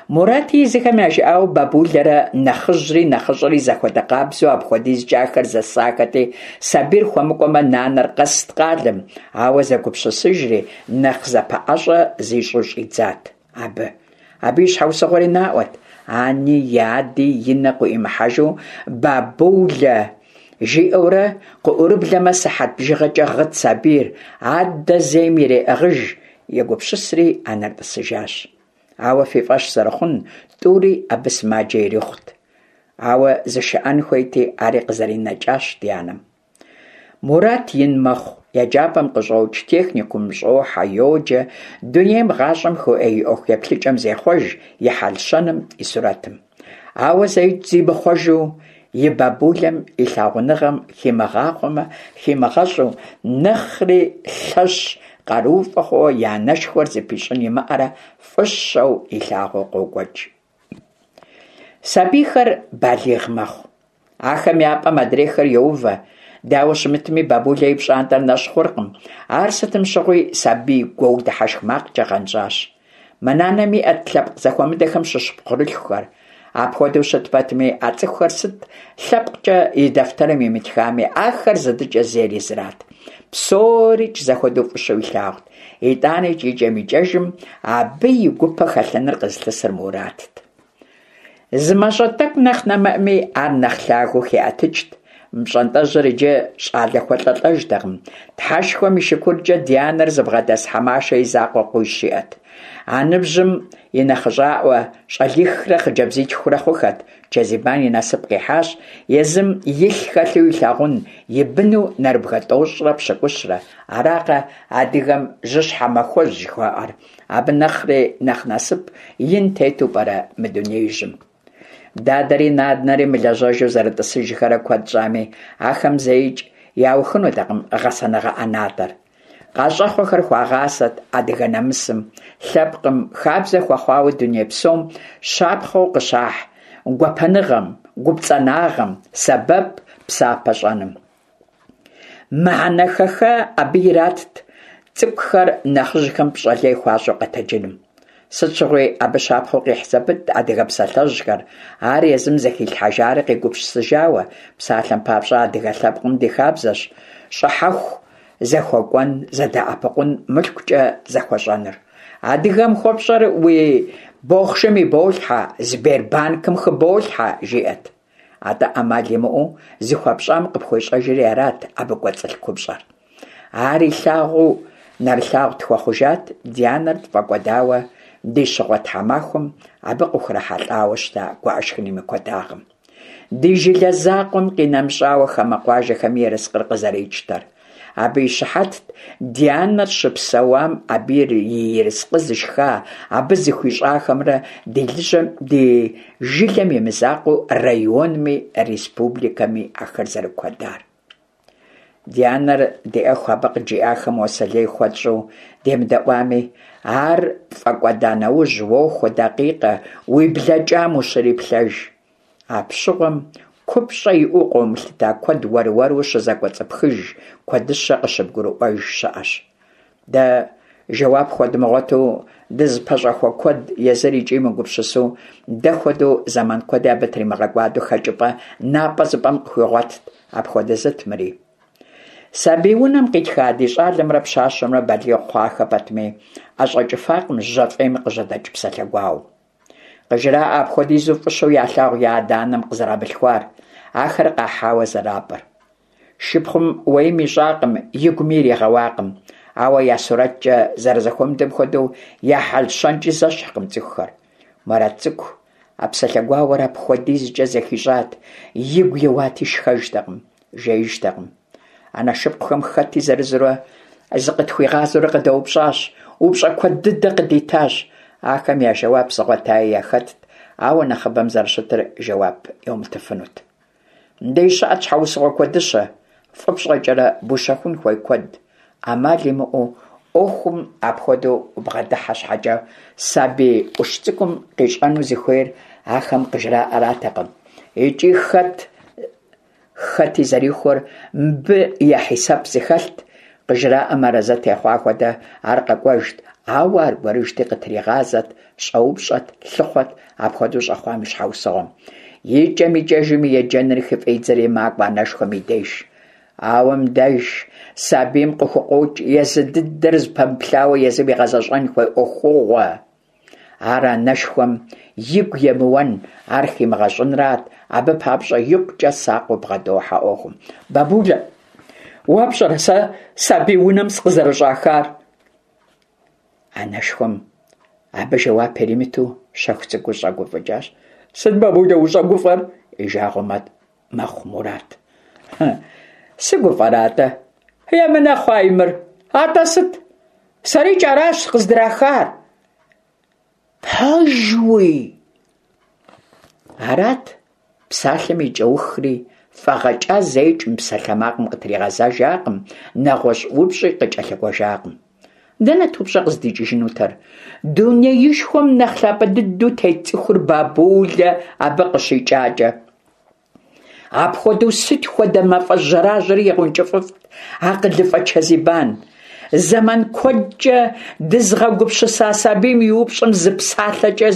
Мурати езыхэм яжыӏауэ бабулэрэ нэхъыжьри нэхъыщӏэри зэхуэдэ къабзэу апхуэдизкӏэ ахэр зэсахэти, сабийр хуэмыкӏуэмэ, нанэр къэст къалэм, ауэ зэгупсысыжри нэхъ зэпэӏэщӏэ зищӏу щӏидзат абы. Абы и щхьэусыгъуэри наӏуэт. Ани и ади и нэ къыӏуимыхьэжу бабулэ жиӏэурэ къыӏурыблэмэ, сыхьэт бжыгъэкӏэ гъыт сабийр, адэ зейм иреӏыгъыж, егупсысри анэр тӏысыжащ. Ауэ фи фӏэщ зэрыхъун, тӏури абы сымаджэ ирихъут. Ауэ зышыӏэн хуейти, ари къызэринэкӏащ ди анэм. Мурат ин мэхъу, еджапӏэм къыщӏокӏ, техникумым щӏохьэ, йоджэ, дунейм гъащӏэм хуиӏэ и ӏуэху еплъыкӏэм зехъуэж, и хьэл-щэным, и сурэтым. Ауэ зэикӏ зимыхъуэжу, и бабулэм и лъагъуныгъэм химыгъахъуэмэ, химыгъэщӏу, нэхъри лъэщ къарууфӏэ хъууэ и анэшхуэр зыпищӏын имыӏэрэ фӏыщэу илъагъуу къокӏуэкӏ. Сабийхэр балигъ мэхъу. Ахэм я пӏэм адрейхэр йоувэ. Дауэ щымытми, бабулэ и пщӏантӏэр нэщӏ хъуркъым. Ар сытым щыгъуи сабий гуоу дыхьэшх макъкӏэ гъэнщӏащ. Мы нанэм иӏэт лъэпкъ зэхуэмыдэхэм щыщ пхъурылъхухэр. Апхуэдэу щыт пэтми, а цӏыхухэр сыт лъэпкъкӏэ и дэфтэрым имытхами, ахэр зыдыкӏэ зейр езырат. Псорикӏ зэхуэдэу фӏыщэу илъагъут. Итӏаныкӏ икӏэм-икӏэжым абы и гупэ хэлъыныр къызылъысыр Муратт. Зы мащӏэ тӏэкӏу нэхъ нэмыӏми, ар нэхъ лъагэу хиӏэтыкӏт. Мы пщӏантӏэжьыр иджы щӏалэ хуэлӏэлӏэжтэкъым. Тхьэшхуэм и шыкуркӏэ ди анэр зыбгъэдэс Хьэмашэ и закъуэ къуищ иӏэт. А ныбжьым и нэхъыщӏаӏуэ щӏалихрэ хъыджэбзитхурэ хъухэт. Чэзибан и насып къихьащ езым илъ хэлъу илъагъун и быну нэрыбгэ тӏощӏрэ пщыкӏущрэ. Аракъэ адыгэм жьыщхьэ махуэжь жыхуаӏэр. Абы нэхъри нэхъ насып ин тету пӏэрэ мы дунеижьым? Дадэри нанэри мылэжьэжу зэрытӏысыжхэрэ куэд щӏами, ахэм зэикӏ яухынутэкъым гъэсэныгъэ ӏэнатӏэр. Къащӏэхъуэхэр хуагъасэт адыгэ нэмысым, лъэпкъым, хабзэ хуэхъуауэ дуней псом щапхъэу къыщахь гуапэныгъэм, гупцӏанагъэм, сэбэп, псапэ щӏэным. Мыхьэнэ хэха абы иратт цӏыкӏухэр нэхъыжьхэм пщӏэ лей хуащӏу къэтэджыным. Сыт щыгъуи абы щапхъэу къихь зэпытт адыгэ псалъэжьхэр, ар езым зэхилъхьэжарэ къигупсысыжауэ. Псалъэм папщӏэ, адыгэ лъэпкъым ди хабзэщ щӏыхьэху зэхуэкӏуэн, зэдэӏэпыкъун, мылъкукӏэ зэхуэщӏэныр. Адыгэм хуэпщӏэр уи бохъшэм иболъхьэ, Сбербанкым хыболъхьэ, жиӏэт. Атӏэ ӏэмал имыӏэу зыхуэпщӏам къыпхуещӏэжри арат абы кӏуэцӏылъ купщӏэр. Ар илъагъуу нэрылъагъу тхуэхъужат ди анэр тфӏэкӏуэдауэ ди щыгъуэ тхьэмахуэм абы къыхурахьэлӏауэ щыта гуӏэшхыным и куэдагъым. Ди жылэ закъуэм къинэмыщӏауэ хамэ къуажэхэми ерыскъыр къызэрикӏтэр. Абы и щыхьэтт ди анэр щыпсэуам абы и ерыскъы зышха, абы зыхуищӏахэмрэ ди лыжьэм ди жылэм и мызакъуэу районми республикэми ахэр зэрыкуэдар. Ди анэр диӏэху абы къыджиӏахэм уасэ лей хуэтщӏу демыдэӏуами, ар пфӏэкӏуэда нэужь уохуэ дакъикъэ уи блэкӏам ущриплъэж. Апщыгъуэм купщӏэ иӏэу къыумылъыта куэд уэр-уэру щызэкӏуэцӏыпхыж, куэдыщэ къыщыбгурыӏуэж щыӏэщ. Дэ жэуап хуэдмыгъуэту дызыпэщӏэхуэ куэд езыр икӏи мыгупсысэу, дэ хуэдэу зэман куэди абы тримыгъэкӏуадэу хэкӏыпӏэ напӏэ-зыпӏэм къыхуигъуэтт. Апхуэдэ зыт мыри. Сабий унэм къитха ди щӏалэмрэ пщащэмрэ балигъ хъуахэ пэтми, ӏэщӏэкӏыфакъым жьэ фӏейм къыжьэдэкӏ псалъэ гуауэ. Къыжраӏэ апхуэдизу фӏыщэу ялъагъу я адэ-анэм къызэрамылъхуар, ахэр къахьауэ зэрапӏыр. Шыпхъум уэим ищӏакъым, игуми иригъэуакъым. Ауэ я сурэткӏэ зэрызэхуэмыдэм хуэдэу я хьэл-щэнкӏи зэщхькъым цӏыхухэр. Мурат цӏыкӏу а псалъэ гуауэр апхуэдизкӏэ зэхищӏат, игу еуати шхэжтэкъым, жеижтэкъым. Анэ шыпхъухэм хэти зырызурэ зыкъытхуигъазэурэ къыдэупщӏащ, упщӏэ куэд дыдэ къыдитащ. Ахэм я жэуап зыгъуэтаи яхэтт, ауэ нэхъыбэм зэрыщытыр жэуап йумытыфынут. Мыбдеж щыӏэт щхьэусыгъуэ куэдыщэ, фӏы пщӏэкӏэрэ бущэхун хуей куэд. Ӏэмал имыӏэу ӏуэхум апхуэдэу убгъэдыхьэ щхьэкӏэ, сабий ӏущ цӏыкӏум къищӏэну зыхуейр ахэм къыжраӏэратэкъым. Икӏи хэт хэти зэрихуэр мыбы я хьисэп зыхэлът, къыжраӏэм арэзы техъуа хуэдэ ар къэкӏуэжт, ауэ аргуэрыжьти къытригъазэт, щӏэупщӏэт, лъыхъуэт апхуэдэу щӏэхъуам и щхьэусыгъуэм. Икӏэм-икӏэжым и еджэныр хыфӏидзэри макӏуэ анэшхуэм и деж. Ауэ мыбдеж сабийм къыхукъуокӏ езы дыдэр зыпэмыплъауэ езым игъэзэщӏэн хуей ӏуэхугъуэ. Ар анэшхуэм игу емыуэн, ар химыгъэщӏынрат, абы папщӏэ икъукӏэ сакъыу бгъэдохьэ ӏуэхум. Бабулэ, уэ пщӏэрэ сэ сабий унэм сыкъызэрыщӏахар? Анэшхуэм абы жэуап иримыту щэху цӏыкӏуу щӏэгуфӏыкӏащ. Сыт, бабулэ, ущӏэгуфӏэр? И жагъуэ мэхъу Мурат. Сыгуфӏэрэ атӏэ? Емынэ хъуай мыр. Атӏэ сыт? Сэрикӏ аращ къыздрахар. Пэжуи? Арат псалъэм и кӏэухри, фӏэгъэкӏа зэикӏ мы псалъэмакъым къытригъэзэжакъым, нэгъуэщӏ упщӏи къыкӏэлъыкӏуэжакъым. Дэнэт упщӏэ къыздикӏыжынутэр? Дунеишхуэм нэхъ лъапӏэ дыдэу тет цӏыхур бабулэ абы къыщикӏакӏэ. Апхуэдэу сыт хуэдэ мафӏэ жьэражьэри егъэункӏыфӏыфт акъылыфӏэ Чэзибан. Зэман куэдкӏэ дызыгъэгупсыса сабийм и упщӏэм зы псалъэкӏэ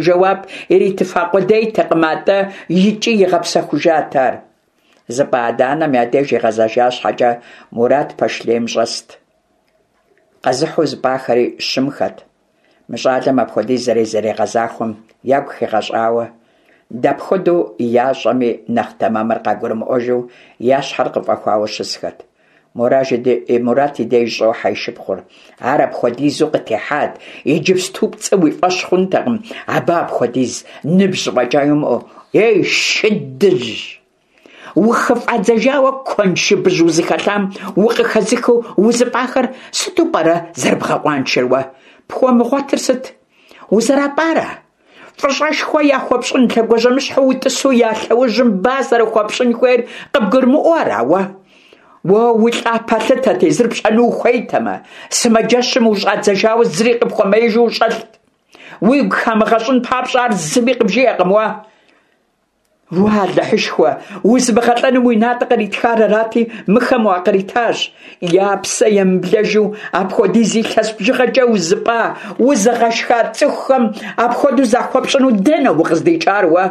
жэуап иритыфа къудейтэкъым, атӏэ икӏи игъэпсэхужат ар. Зыпӏа адэ-анэм я деж игъэзэжа щхьэкӏэ, Мурат пэш лейм щӏэст. Къэзыхьу зыпӏахэри щымхэт. Мы щӏалэм апхуэдиз зэрызэригъэзахуэм ягу хигъэщӏауэ, дапхуэдэу ящӏэми нэхъ тэмэмыр къагурымыӏуэжу я щхьэр къыфӏэхуауэ щысхэт. Мурат и деж щӏохьэ и шыпхъур. Ар апхуэдизу къытехьат, иджыпсту пцӏы уи фӏэщ хъунтэкъым, абы апхуэдиз ныбжь фӏэкӏа йумыӏэу. Ей, шыдыжь! Ухыфӏадзэжауэ куэншыбыжь узыхэлъам укъыхэзыхыу узыпӏахэр сыту пӏэрэ зэрыбгъэкъуаншэр уэ? Пхуэмыгъуэтыр сыт? Узэрапӏара? Фӏыщӏэшхуэ яхуэпщӏын лъэгуажьэмыщхьэу утӏысу я лъэужьым ба зэрыхуэпщӏын хуейр къыбгурымыӏуэу ара уэ? Уэ улӏа пэлъытэ тезыр пщӏэну ухуейтэмэ, сымаджэщым ущӏадзэжауэ зыри къыпхуэмеижу ущӏэлът. Уигу хамыгъэщӏын папщӏэ ар зыми къыбжиӏэкъым уэ. Уа, Алыхьышхуэ, узымыгъэлӀэным уи натӀэ къритхар арати, мыхэм уакъритащ. Я псэ емыблэжу апхуэдиз илъэс бжыгъэкӀэ узыпӀа, узыгъэшха цӀыхухэм апхуэдэу захуэпщӀыну дэнэ укъыздикӀар уэ?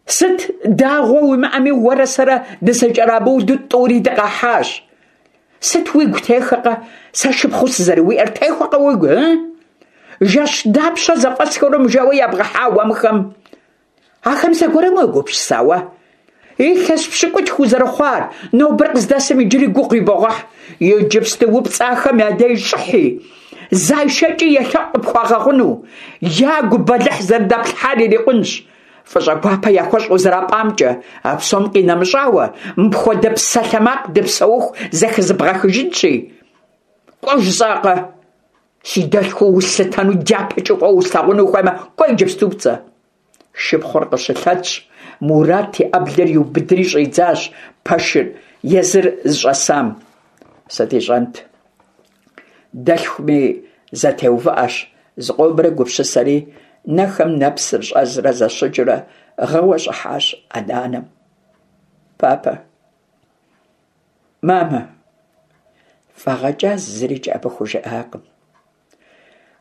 Сыт дагъуэ уимыӀэми, уэрэ сэрэ дызэкӀэрамыуду тӀури дыкъахьащ. Сыт уигу техэкъэ? Сэ шыпхъуу сызэрыуиӀэр техуэкъэ уигу, ы? Жэщ дапщэ зэфӀэсхэурэ мыжейуэ ябгъэхьа уэ мыхэм? Ахэм зэгуэрым уегупсыса уэ? Илъэс пщыкӀутху узэрыхъуар, нобэр къыздэсым иджыри гугъу ибогъэхь. Иджыпсту упцӀахэм я деж щӀыхьи, зайшэкӀи елъэӀу къыпхуагъэгъуну. Ягу бэлыхь зэрыдэплъхьар ирикъунщ. ФӀыщӀэ гуапэ яхуэщӀ узэрапӀамкӀэ. А псом къинэмыщӀауэ, мыпхуэдэ псалъэмакъ дыпсэуху зэхызыбгъэхыжынщи. КӀуэ жысӀакъэ? Си дэлъхуу услъытэну, дяпэкӀи фӀыуэ услъагъуну ухуеймэ, кӀуэ иджыпсту пцӀэ. Шыпхъур къыщылъэтщ, Мурат и Ӏэблэр иубыдри щӀидзащ пэшыр езыр зыщӀэсам. Сыт ищӀэнт? Дэлъхуми зэтеувыӀэщ, зыкъомрэ гупсысэри, нэхэм нэпсыр щӀэзрэ зэщыджэурэ гъыуэ щӀыхьащ адэ-анэм. Папэ, мамэ, фӀэгъэкӀа зырикӀ абы хужыӀакъым.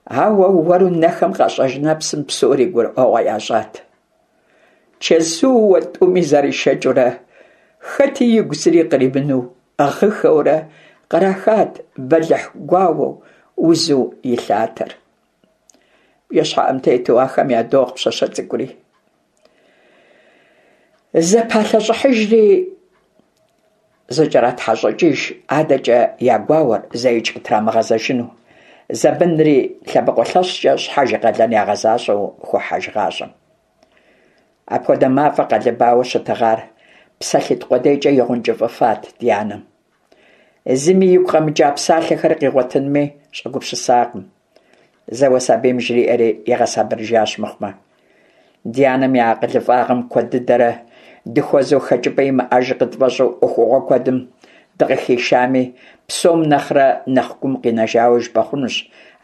Ауэ уэру нэхэм къащӀэж нэпсым псори гурыӀуэгъуэ ящӀат. Чэзууэ тӀуми заришэкӀыурэ, хэти игу зыри къримыну, гъыхэурэ кърахат бэлыхь гуауэу узу и лъатэр. БжэщхьэӀум тету ахэм ядогъ пщащэ цӀыкӀури. ЗэпалъэщӀыхьыжри зыкӀэратхьэщӀыкӀыж, адэкӀэ я гуауэр зэикӀ къытрамыгъэзэжыну. Зэбынри лъэбакъуэ лъэщкӀэ щхьэж и къалэн ягъэзащӀэу хохьэж гъащӀэм. Апхуэдэ мафӀэ къэлыбауэ щытыгъар псалъитӀ къудейкӀэ игъэункӀыфӀыфат ди анэм. Зыми игу къэмыкӀа псалъэхэр къигъуэтынми щӀэгупсысакъым. Зэуэ сабийм жриӀэри игъэсабырыжащ мыхъумэ. Ди анэм и акъылыфӀагъым куэд дыдэрэ дыхуэзэу хэкӀыпӀэ имыӀэж къытфӀэщӀу Ӏуэхугъуэ куэдым дыкъыхишами, псом нэхърэ нэхъ гум къинэжауэ жыпӀэ хъунущ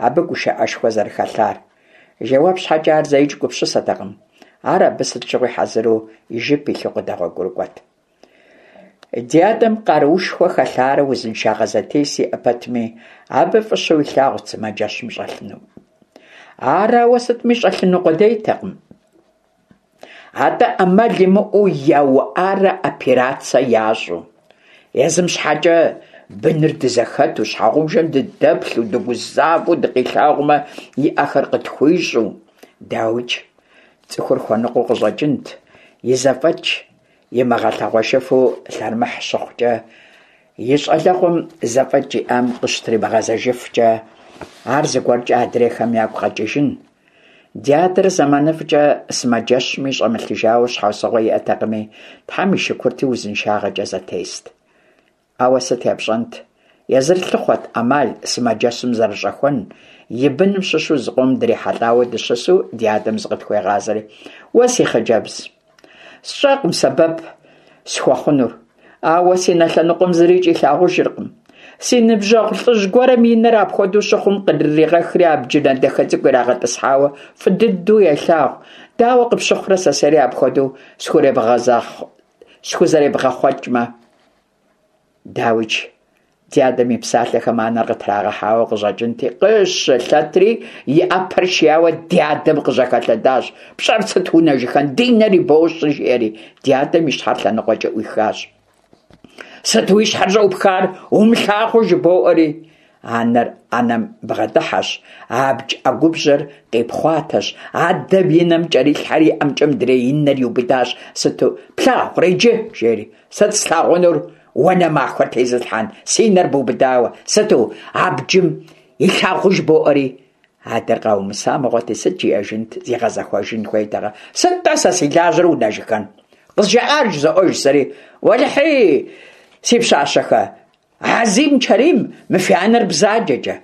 абы гушыӀэшхуэ зэрыхэлъар. Жэуап щхьэкӀэ ар зэикӀ гупсысэтэкъым. Ар абы сыт щыгъуи хьэзыру и жып илъу къыдэгъуэгурыкӀуэт. Ди адэм къаруушхуэ хэлъарэ узыншагъэ зэтес иӀэ пэтми, абы фӀыщэу илъагъурт сымаджэщым щӀэлъыну. Ар ауэ сытми щӀэлъыну къудейтэкъым. АтӀэ Ӏэмал имыӀэу яуӀарэ операцэ ящӀу. Езым щхьэкӀэ быныр дызэхэту, щхьэгъубжэм дыдэплъу, дыгузавэу дыкъилъагъумэ, и Ӏэхэр къытхуищӀу. ДауикӀ, цӀыхур хуэныкъуэу къыщӀэкӀынт, и зэфӀэкӀ имыгъэлъэгъуэжыфу лъэрымыхь щыхъукӀэ, и щӀалэгъуэм зэфӀэкӀ иӀам къыщытримыгъэзэжыфкӀэ, ар зыгуэркӀэ адрейхэм ягу къэкӀыжын. Ди адэр зэманыфӀкӀэ сымаджэщми щӀэмылъыжауэ щхьэусыгъуэ иӀэтэкъыми, Тхьэм и шыкурти узыншагъэкӀэ зэтест. Ауэ сыт епщӀэнт, езыр лъыхъуэт Ӏэмал сымаджэщым зэрыщӀэхуэн, и быным щыщу зыкъом дрихьэлӀауэ дыщысу ди адэм зыкъытхуегъазэри: «Уэ, си хъыджэбз, сщӀэкъым сэбэп схуэхъунур, ауэ си нэ лъэныкъуэм зырикӀ илъагъужыркъым. Си ныбжьэгъу лӀыжь гуэрым и нэр апхуэдэу щыхъум кърыригъэхри абджынэ дахэ цӀыкӀу ирагъэтӀысхьауэ фӀы дыдэу елъагъу. Дауэ къыпщыхъурэ сэ сэри апхуэдэу схузэребгъэхъуэкӀмэ?» ДауикӀ, ди адэм и псалъэхэм анэр къытрагъэхьауэ къыщӀэкӀынти, къыщылъэтри и Ӏэпэр шияуэ ди адэм къыжьэхэлъэдащ. «ПщӀэр сыт, унэжыхэн, ди нэр ибощӀри!» жиӀэри ди адэм и щхьэр лъэныкъуэкӀэ Ӏуихащ. «Сыт уи щхьэр щӀэупхар, умылъагъуу жыбоӀэри?» Анэр Ӏэнэм бгъэдыхьэщ, абдж Ӏэгубжьэр къипхъуатэщ, адэм и нэм кӀэрилъхьэри и ӀэмкӀэ мыдрей и нэр иубыдащ. «Сыту плъагъурэ иджы?» жери. «Сыт слъагъунур, уэ нэ махуэ тезылъхьэн, си нэр бубыдауэ, сыту абджым илъагъуу жыбоӀэри?» Адэр къаумыса мыгъуэти, сыт жиӀэжынт, зигъэзэхуэжын хуейтэкъэ? «Сыт-тӀэ сэ си лажьэр, унэжыхэн? КъызжаӀар жызоӀэж сэри. Уэлэхьи, си пщащэхэ, Азим Чэрим, мы фи анэр бзаджэкӀэ!»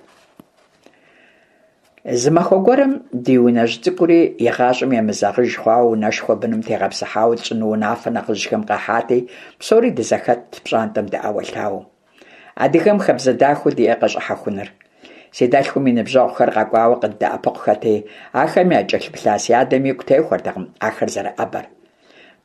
Зы махуэ гуэрым ди унэжь цӀыкӀури игъащӀэм емызэгъыж хъуауэ унэшхуэ быным тегъэпсыхьауэ тщӀыну унафэ нэхъыжьхэм къахьати, псори дызэхэтт пщӀантӀэм дыӀэуэлъауэу. Адыгэм хабзэ дахэу диӀэкъэ щӀыхьэхуныр. Си дэлъхум и ныбжьэгъухэр къэкӀуауэ къыддэӀэпыкъухэти, ахэм якӀэлъыплъа си адэм игу техуэртэкъым ахэр зэрыӀэбэр.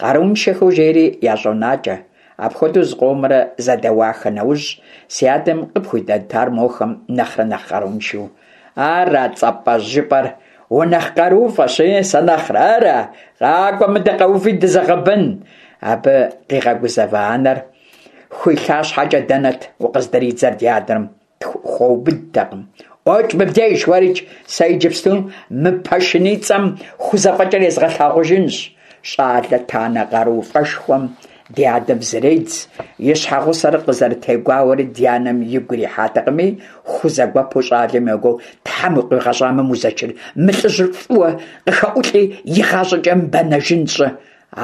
Къарууншэхэу жери ящӀонакӀэ. Апхуэдэу зыкъомрэ зэдэуахэ нэужь, си адэм къыпхуидэнт ар мохэм нэхърэ нэхъ къарууншэу. Ара цӀапӀэжь жыпӀэр? Унэхъ къарууфӀэщ, сэ нэхърэ, ара? КъакӀуэ мыдэ къэуви дызэгъэбэн! Абы къигъэгузэва анэр хуилъа щхьэкӀэ дэнэт укъыздридзэр ди адэм хуэубыдтэкъым. ӀуэкӀ мыбдеж, уэрикӀ, сэ иджыпсту мы пэшыницӀэм хузэфӀэкӀыр езгъэлъагъужынщ. ЩӀалэ танэ къарууфӀэшхуэм ди адэм зредз, и щхьэгъусэр къызэрытегуауэри ди анэм игу ирихьатэкъыми, хузэгуэпу щӀалэм йогуоу: «Тхьэм укъигъэщӀамэ, Музэчыр, мы лӀыжьыр фӀыуэ къыхэӀулӀи, игъащӀэкӀэ мыбэнэжын щӀы!»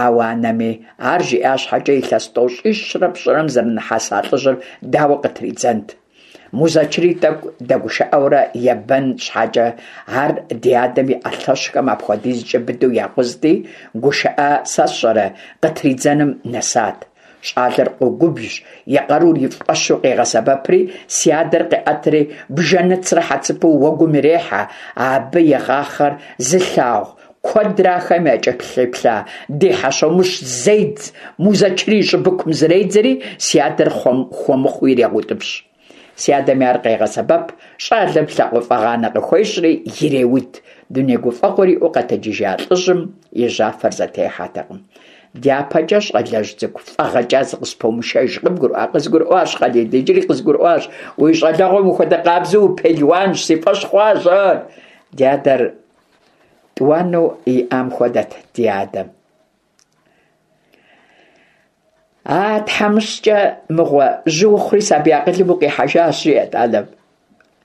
Ауэ анэми ар жиӀа щхьэкӀэ, илъэс тӀощӀищрэ пщӀырэм зэрынэхьэса лӀыжьыр дауэ къытридзэнт? Музэчыри тӀэкӀу дэгушыӀэурэ ебэн щхьэкӀэ, ар ди адэм и Ӏэ лъэщхэм апхуэдизкӀэ быдэу якъузти, гушыӀэ сэ сщӀэрэ къытридзэным нэсат. ЩӀалэр къогубжь, и къарур и фӀэщу къегъэсэбэпри, си адэр къеӀэтри бжэныцрэ хьэцыпэу уэгум ирехьэ. Абы игъахъэр зылъагъу куэдрэ ахэм якӀэлъыплъа ди Хьэщомыщ зедз, Музэчыр и щӀыбыкум зредзэри, си адэр хуэмыхъуу ирегъэутӀыпщ. Си адэми ар къегъэсэбэп, щӀалэм лъакъуэфӀэгъанэ къыхуещӀри иреуд. Дуней гуфӀэгъуэр иӀэу къэтэджыжа лӀыжьым и жьафэр зэтехьэтэкъым. ДяпэкӀэ, щӀалэжь цӀыкӀу, фӀэгъэкӀа зыкъыспомышэж, къыбгурыӀуа? КъызгурыӀуащ, Хъалид, иджыри къызгурыӀуащ. Уи щӀалэгъуэм ухуэдэ къабзэу упелуанщ, си фӀэщ хъуащ ар. Ди адэр тӀуанэу иӀам хуэдэт ди адэм. А тхьэмыщкӀэ мыгъуэ, жьы ухъури сабий акъылым укъихьэжащ, жиӀэрт анэм.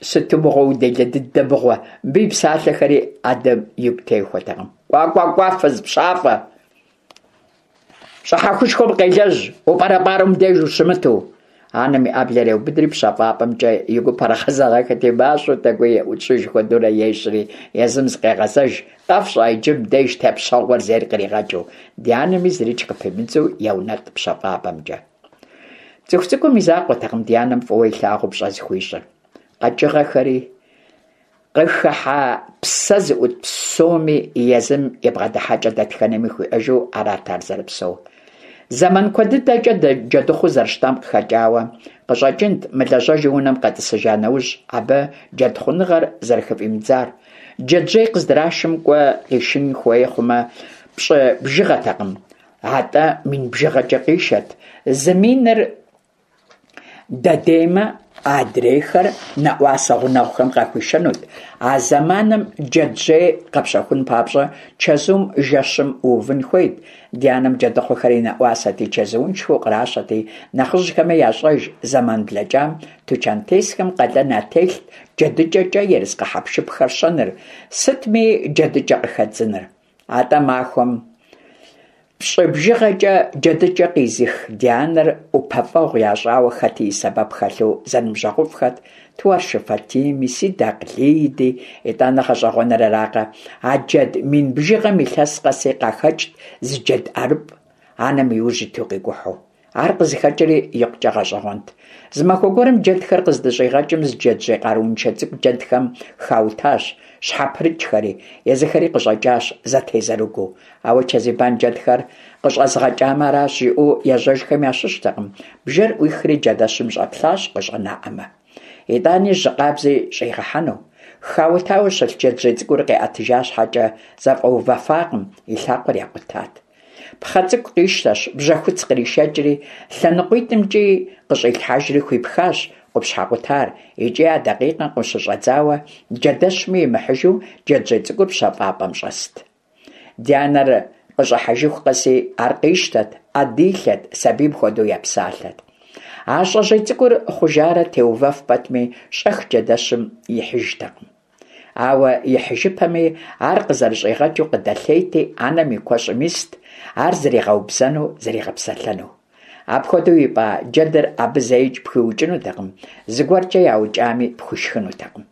Сыту мыгъуэ уделэ дыдэ мыгъуэ. Мыбы и псалъэхэри адэм игу техуэтэкъым. КӀуа, кӀуа, кӀуа, фыз пщафӀэ! ЩӀыхьэхушхуэм къелэжь, упӀэрэпӀарэу мыбдеж ущымыту. Анэм и Ӏэблэр еубыдри пщэфӀапӀэмкӀэ и гупэр гъэзэгъэхэти, мащӀэу тӀэкӀуи еӀунщӀыж хуэдэурэ ещӀри, езым зыкъегъэзэж, къэфщӀа иджы мыбдеж тепщэгъуэр зейр къригъэкӀыу. Ди анэми зырикӀ къыпимыдзу еунэтӀ пщэфӀапӀэмкӀэ. ЦӀыху цӀыкӀум и закъуэтэкъым ди анэм фӀыуэ илъагъуу пщӀэ зыхуищӀыр. КъэкӀыгъэхэри, къыхыхьа псэ зыӀут псоми езым и бгъэдыхьэкӀэ дэтхэнэми хуиӀэжу арат ар зэрыпсэур. Зэман куэд дыдэкӀэ джэдыхъуу зэрыщытам къыхэкӀауэ къыщӀэкӀынт мылэжьэжу унэм къэтӀысыжа нэужь абы джэдхъуныгъэр зэрыхыфӀимыдзар. Джэджьей къыздрашым кӀуэ къишын хуей хъумэ, пщӀы бжыгъэтэкъым, атӀэ мин бжыгъэкӀэ къишэт. Зы миныр дэдеймэ, адрейхэр нэӀуасэ гъунэгъухэм къахуишэнут. А зэманым джэджьей къэпщэхун папщӀэ чэзум жэщым уувын хуейт. Ди анэм джэдыхъуэхэр и нэӀуасэти, чэзууншэу къращэти, нэхъыжьхэми ящӀэж зэман блэкӀам тучантесхэм къалэн ятелът джэдыкӀэкӀэ ерыскъы хьэпшыпхэр щэныр, сытми джэдыкӀэ къыхэдзыныр. АтӀэ махуэм пщӀы бжыгъэкӀэ джэдыкӀэ къизых ди анэр ӀупэфӀэгъу ящӀауэ хэти и сэбэп хэлъу зэныбжьэгъуфӀхэт Туаршы Фатими, Сидакъ Лиди. ИтӀанэ гъэщӀэгъуэныр аракъэ, а джэд мин бжыгъэм илъэс къэси къахэкӀт зы джэд ӀэрыпӀ, анэм и ужь иту къикӀухьу. Ар къызыхэкӀри икъукӀэ гъэщӀэгъуэнт. Зы махуэ гуэрым джэдхэр къыздыщӀигъэкӀым зы джэджьей къарууншэ цӀыкӀу джэдхэм хаутащ, щхьэпрыкӀхэри, езыхэри къыщӀэкӀащ зэтезэрыгыу. Ауэ Чэзибан джэдхэр къыщӀэзгъэкӀамэ аращ жиӀэу ежьэжхэм ящыщтэкъым. Бжэр Ӏуихри джэдэщым щӀэплъащ къыщӀэнаӀэмэ. ИтӀани жьы къабзи щӀигъэхьэну. Хаутауэ щылъ джэджьей цӀыкӀур къиӀэтыжа щхьэкӀэ зэфӀэувэфакъым, и лъакъуэр якъутат. Пхъэ цӀыкӀу къищтэщ, бжьэхуц къришэкӀри, лъэныкъуитӀымкӀи къыщӀилъхьэжри хуипхащ къупщхьэ къутар, икӀи а дакъикъэм къыщыщӀэдзауэ джэдэщми имыхьыжу джэджьей цӀыкӀур пщэфӀапӀэм щӀэст. Ди анэр къыщӀыхьэжыху къэси ар къищтэт, Ӏэ дилъэт, сабийм хуэдэу епсалъэт. А щӀэжьей цӀыкӀур хъужарэ теувэф пэтми, щӀэх джэдэщым ихьыжтэкъым. Ауэ ихьыжыпэми, ар къызэрыщӀигъэкӀыу къыдэлъейти, анэм и куэщӀым ист, ар зэригъэубзэну, зэригъэпсэлъэну. Апхуэдэу ипӀа джэдыр абы зэикӀ пхуиукӀынутэкъым, зыгуэркӀэ яукӀами пхуишхынутэкъым.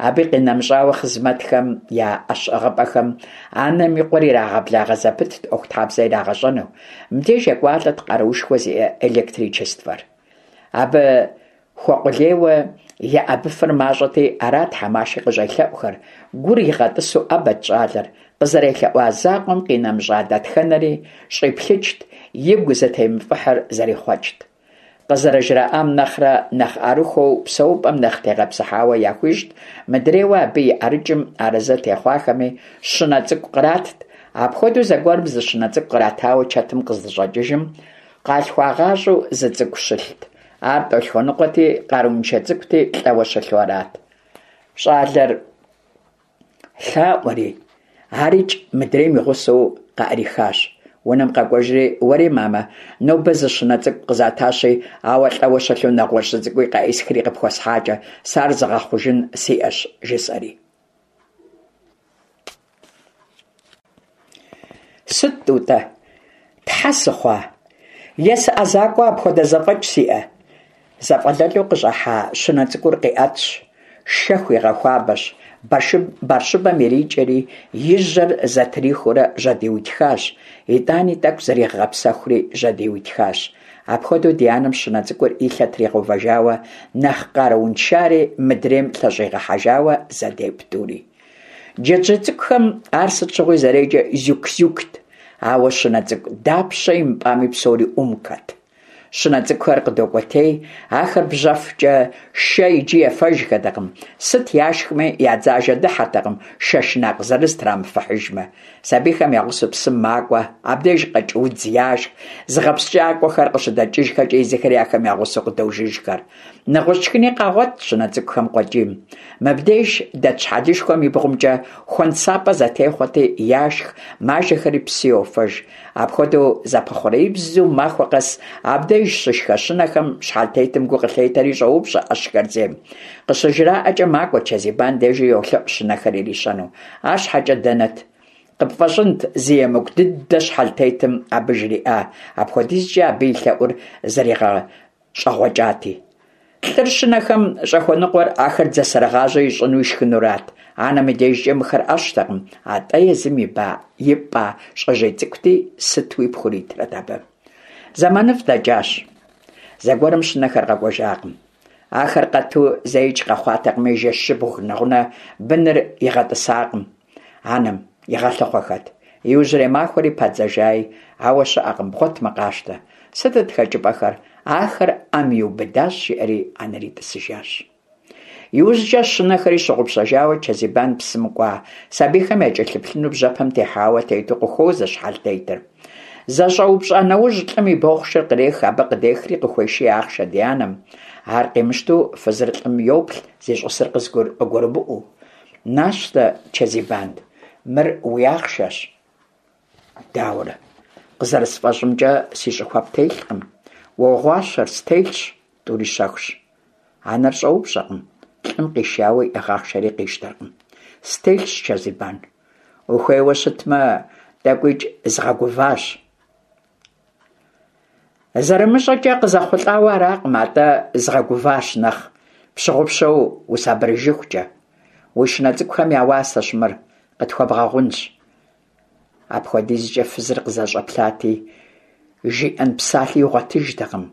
Абы къинэмыщӀауэ, хъызмэтхэм я Ӏэщ ӀыгъыпӀэхэм анэм и къуэр ирагъэблагъэ зэпытт Ӏуэхутхьэбзэ ирагъэщӀэну. Мыбдеж екӀуалӀэт къаруушхуэ зиӀэ электричествэр. Абы Хуэкъулейуэ еӏэбыфыр мащӏэти, арат Хьэмаши къыщӏелъэӏухэр. Гур игъэтӏысу ӏэбэт щӏалэр, къызэрелъэӏуа закъуэм къинэмыщӏа дэтхэнэри щӏиплъыкӏт, игу зытемыфӏыхьыр зэрихъуэкӏт. Къызэрыжраӏам нэхърэ нэхъ ӏэрыхуэу, псэупӏэм нэхъ тегъэпсыхьауэ яхуищӏт, мыдрейуэ абы и ӏэрыкӏым арэзы техъуахэми щынэ цӏыкӏу къратт. Апхуэдэу зэгуэрым зы щынэ цӏыкӏу къратауэ чэтым къыздыщӏэкӏыжым, къалъхуагъащӏэу зы цӏыкӏу щылът. Ар тӏолъхуэныкъуэти, къарууншэ цӏыкӏути, лӏэуэ щылъу арат. Щӏалэр лъаӏуэри, арикӏ мыдрейм и гъусэу къаӏрихащ. Унэм къэкӏуэжри, уэри, мамэ, нобэ зы щынэ цӏыкӏу къызатащи, ауэ лӏэуэ щылъу нэгъуэщӏ зы цӏыкӏуи къеӏысхри къыпхуэсхьакӏэ, сэ ар зыгъэхъужын сиӏэщ, жысӏэри. Сыт, Тӏутӏэ, тхьэ сыхъуа? Е сыӏэзакӏуэ апхуэдэ зэфӏэкӏ сиӏэ? Зэфӏэлэлу къыщӏахьа щынэ цӏыкӏур къиӏэтщ, шэ хуигъэхуабэщ, бэрщыбэм ирикӏэри, и жьэр зэтрихыурэ жьэдиутхащ, итӏани тӏэкӏу зригъэгъэпсэхури жьэдиутхащ. Апхуэдэу ди анэм щынэ цӏыкӏур и лъэ тригъэувэжауэ, нэхъ къарууншари мыдрейм лъэщӏигъэхьэжауэ зэдепӏ тӏури. Джэджьей цӏыкӏухэм ар сыт щыгъуи зэреджэр Зюк-Зюкт, ауэ щынэ цӏыкӏу дапщэ имыпӏами псори Умкэт. Щынэ цӏыкӏухэр къыдокӏуэтей, ахэр бжьэфкӏэ шэ иджы ефэжхэтэкъым, сыт яшхми я дзажэ дыхьэртэкъым шэ шынакъ зырыз трамыфыхьыжмэ. Сабийхэм я гъусэу псым макӏуэ, абдеж къэкӏ удз яшх, зыгъэпскӏакӏуэхэр къыщыдэкӏыжхэкӏэ езыхэри ахэм я гъусэу къыдожыжхэр. Нэгъуэщӏ шхыни къагъуэт щынэ цӏыкӏухэм къуэкӏийм. Мыбдеж дэт щхьэлышхуэм и бгъумкӏэ хуэнсапӏэ зэтехъуэти, яшх, мажэхэри псы йофэж. Апхуэдэу зэпэхъуреибзу махуэ къэс абдеж щышхэ щынэхэм щхьэлтетым гу къылъетэри щӏоупщӏэ ӏэщхэр зейм. Къыщыжраӏэкӏэ макӏуэ Чэзибан дежи йолъэӏу щынэхэр ирищэну. Арщхьэкӏэ дэнэт? Къыпфӏэщӏынт зы емыкӏу дыдэ щхьэлтетым абы жриӏа, апхуэдизкӏэ абы и лъэӏур зэригъэщӏэгъуэкӏати. Лӏыр щынэхэм щӏэхуэныкъуэр ахэр дзэсэрыгъажьэ ищӏыну ишхынурат. Анэм и дежкӏэ мыхэр ӏэщтэкъым, атӏэ езым ипӏа щӏэжьей цӏыкӏути, сытуи пхуритрэт абы. Зэманыфӏ дэкӏащ. Зэгуэрым щынэхэр къэкӏуэжакъым. Ахэр къэту зэикӏ къэхъуатэкъыми, жэщыбг нэгъунэ быныр игъэтӏысакъым. Анэм игъэлъыхъуэхэт. Иужьрей махуэри падзэжаи, ауэ щыӏэкъым, бгъуэтмэ къащтэ. Сытыт хэкӏыпӏэхэр? Ахэр ӏэм иубыдащ, жиӏэри анэри тӏысыжащ. Иужькӏэ щынэхэри щыгъупщэжауэ Чэзибан псым кӏуа сабийхэм якӏэлъыплъыну бжьэпэм техьауэ тету къыхуозэ щхьэлтетыр. Зэщӏэупщӏа нэужь лӏым и бохъшэр кърех, абы къыдехри къыхуеший ахъшэ ди анэм. Ар къимыщтэу фызыр лӏым йоплъ, зищӏысыр къыгурымыӏуэу. Нащтэ, Чэзибан, мыр уи ахъшэщ. Дауэрэ? Къызэрысфӏэщӏымкӏэ, си щӏыхуэ птелъкъым. Уогъуащэр, стелъщ, тӏури щэхущ. Анэр щӏэупщӏэкъым, лӏым къишауэ иӏыгъ ахъшэри къищтэркъым. Стелъщ, Чэзибан. Ухуейуэ щытмэ, тӏэкӏуикӏ згъэгуващ. Зэрымыщӏэкӏэ къызэхъулӏауэ аракъым, атӏэ згъэгуващ нэхъ пщыгъупщэу усабырыжыхукӏэ. Уи щынэ цӏыкӏухэм я уасэщ мыр, къытхуэбгъэгъунщ. Апхуэдизкӏэ фызыр къызэщӏэплъати, жиӏэн псалъи игъуэтыжтэкъым.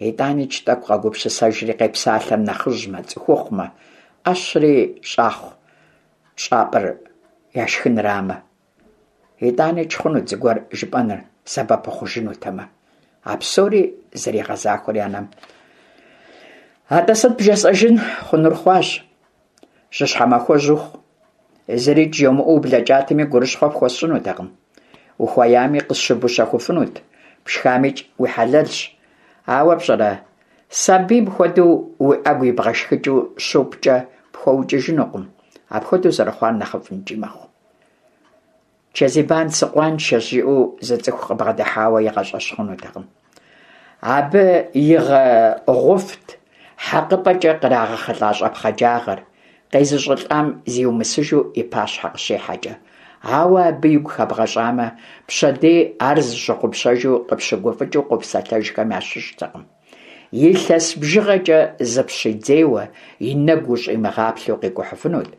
ИтӀаникӀ тӀэкӀу къэгупсысэжри къепсалъэр нэхъыжьмэ, цӀыхухъумэ, Ӏэщри щӀахъу щӀапӀэр яшхынрамэ. ИтӀаникӀ хъунут зыгуэр жыпӀэныр, сэбэп ухъужынутэмэ. А псори зэригъэзахуэри анэм. АтӀэ сыт бжесӀэжын, хъунур хъуащ. Жьыщхьэмахуэжь ухъу. ЗырикӀ жомыӀэу ублэкӀатэми гурыщхъуэ пхуэсщӀынутэкъым. Ухуеями къысщыбущэхуфынут, пшхамикӀ уи хьэлэлщ. Ауэ пщӀэрэ, сабийм хуэдэу уи Ӏэгу ибгъэшхыкӀыу щупӀкӀэ пхуэукӀыжынукъым. Апхуэдэу зэрыхъуар нэхъыфӀынкӀи мэхъу. Чэзибан сыкъуаншэщ жиӀэу зы цӀыху къыбгъэдыхьауэ игъэщӀэщхъунутэкъым. Абы игъэгъуфт хьэкъыпӀэкӀэ кърагъэхъылӀа щӀэпхъаджагъэр, къезыщӀылӀам зиумысыжу и пащхьэ къыщихьэкӀэ. Ауэ абы игу хэбгъэщӀамэ, пщэдей ар зыщыгъупщэжу къыпщыгуфӀыкӀыу къопсэлъэжхэм ящыщтэкъым. Илъэс бжыгъэкӀэ зыпщидзейуэ, и нэгу ущӀимыгъаплъэу къикӀухьыфынут.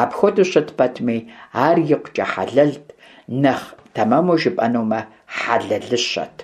Апхуэдэу щыт пэтми, ар икъукӀэ хьэлэлт, нэхъ тэмэму жыпӀэнумэ, хьэлэлыщэт.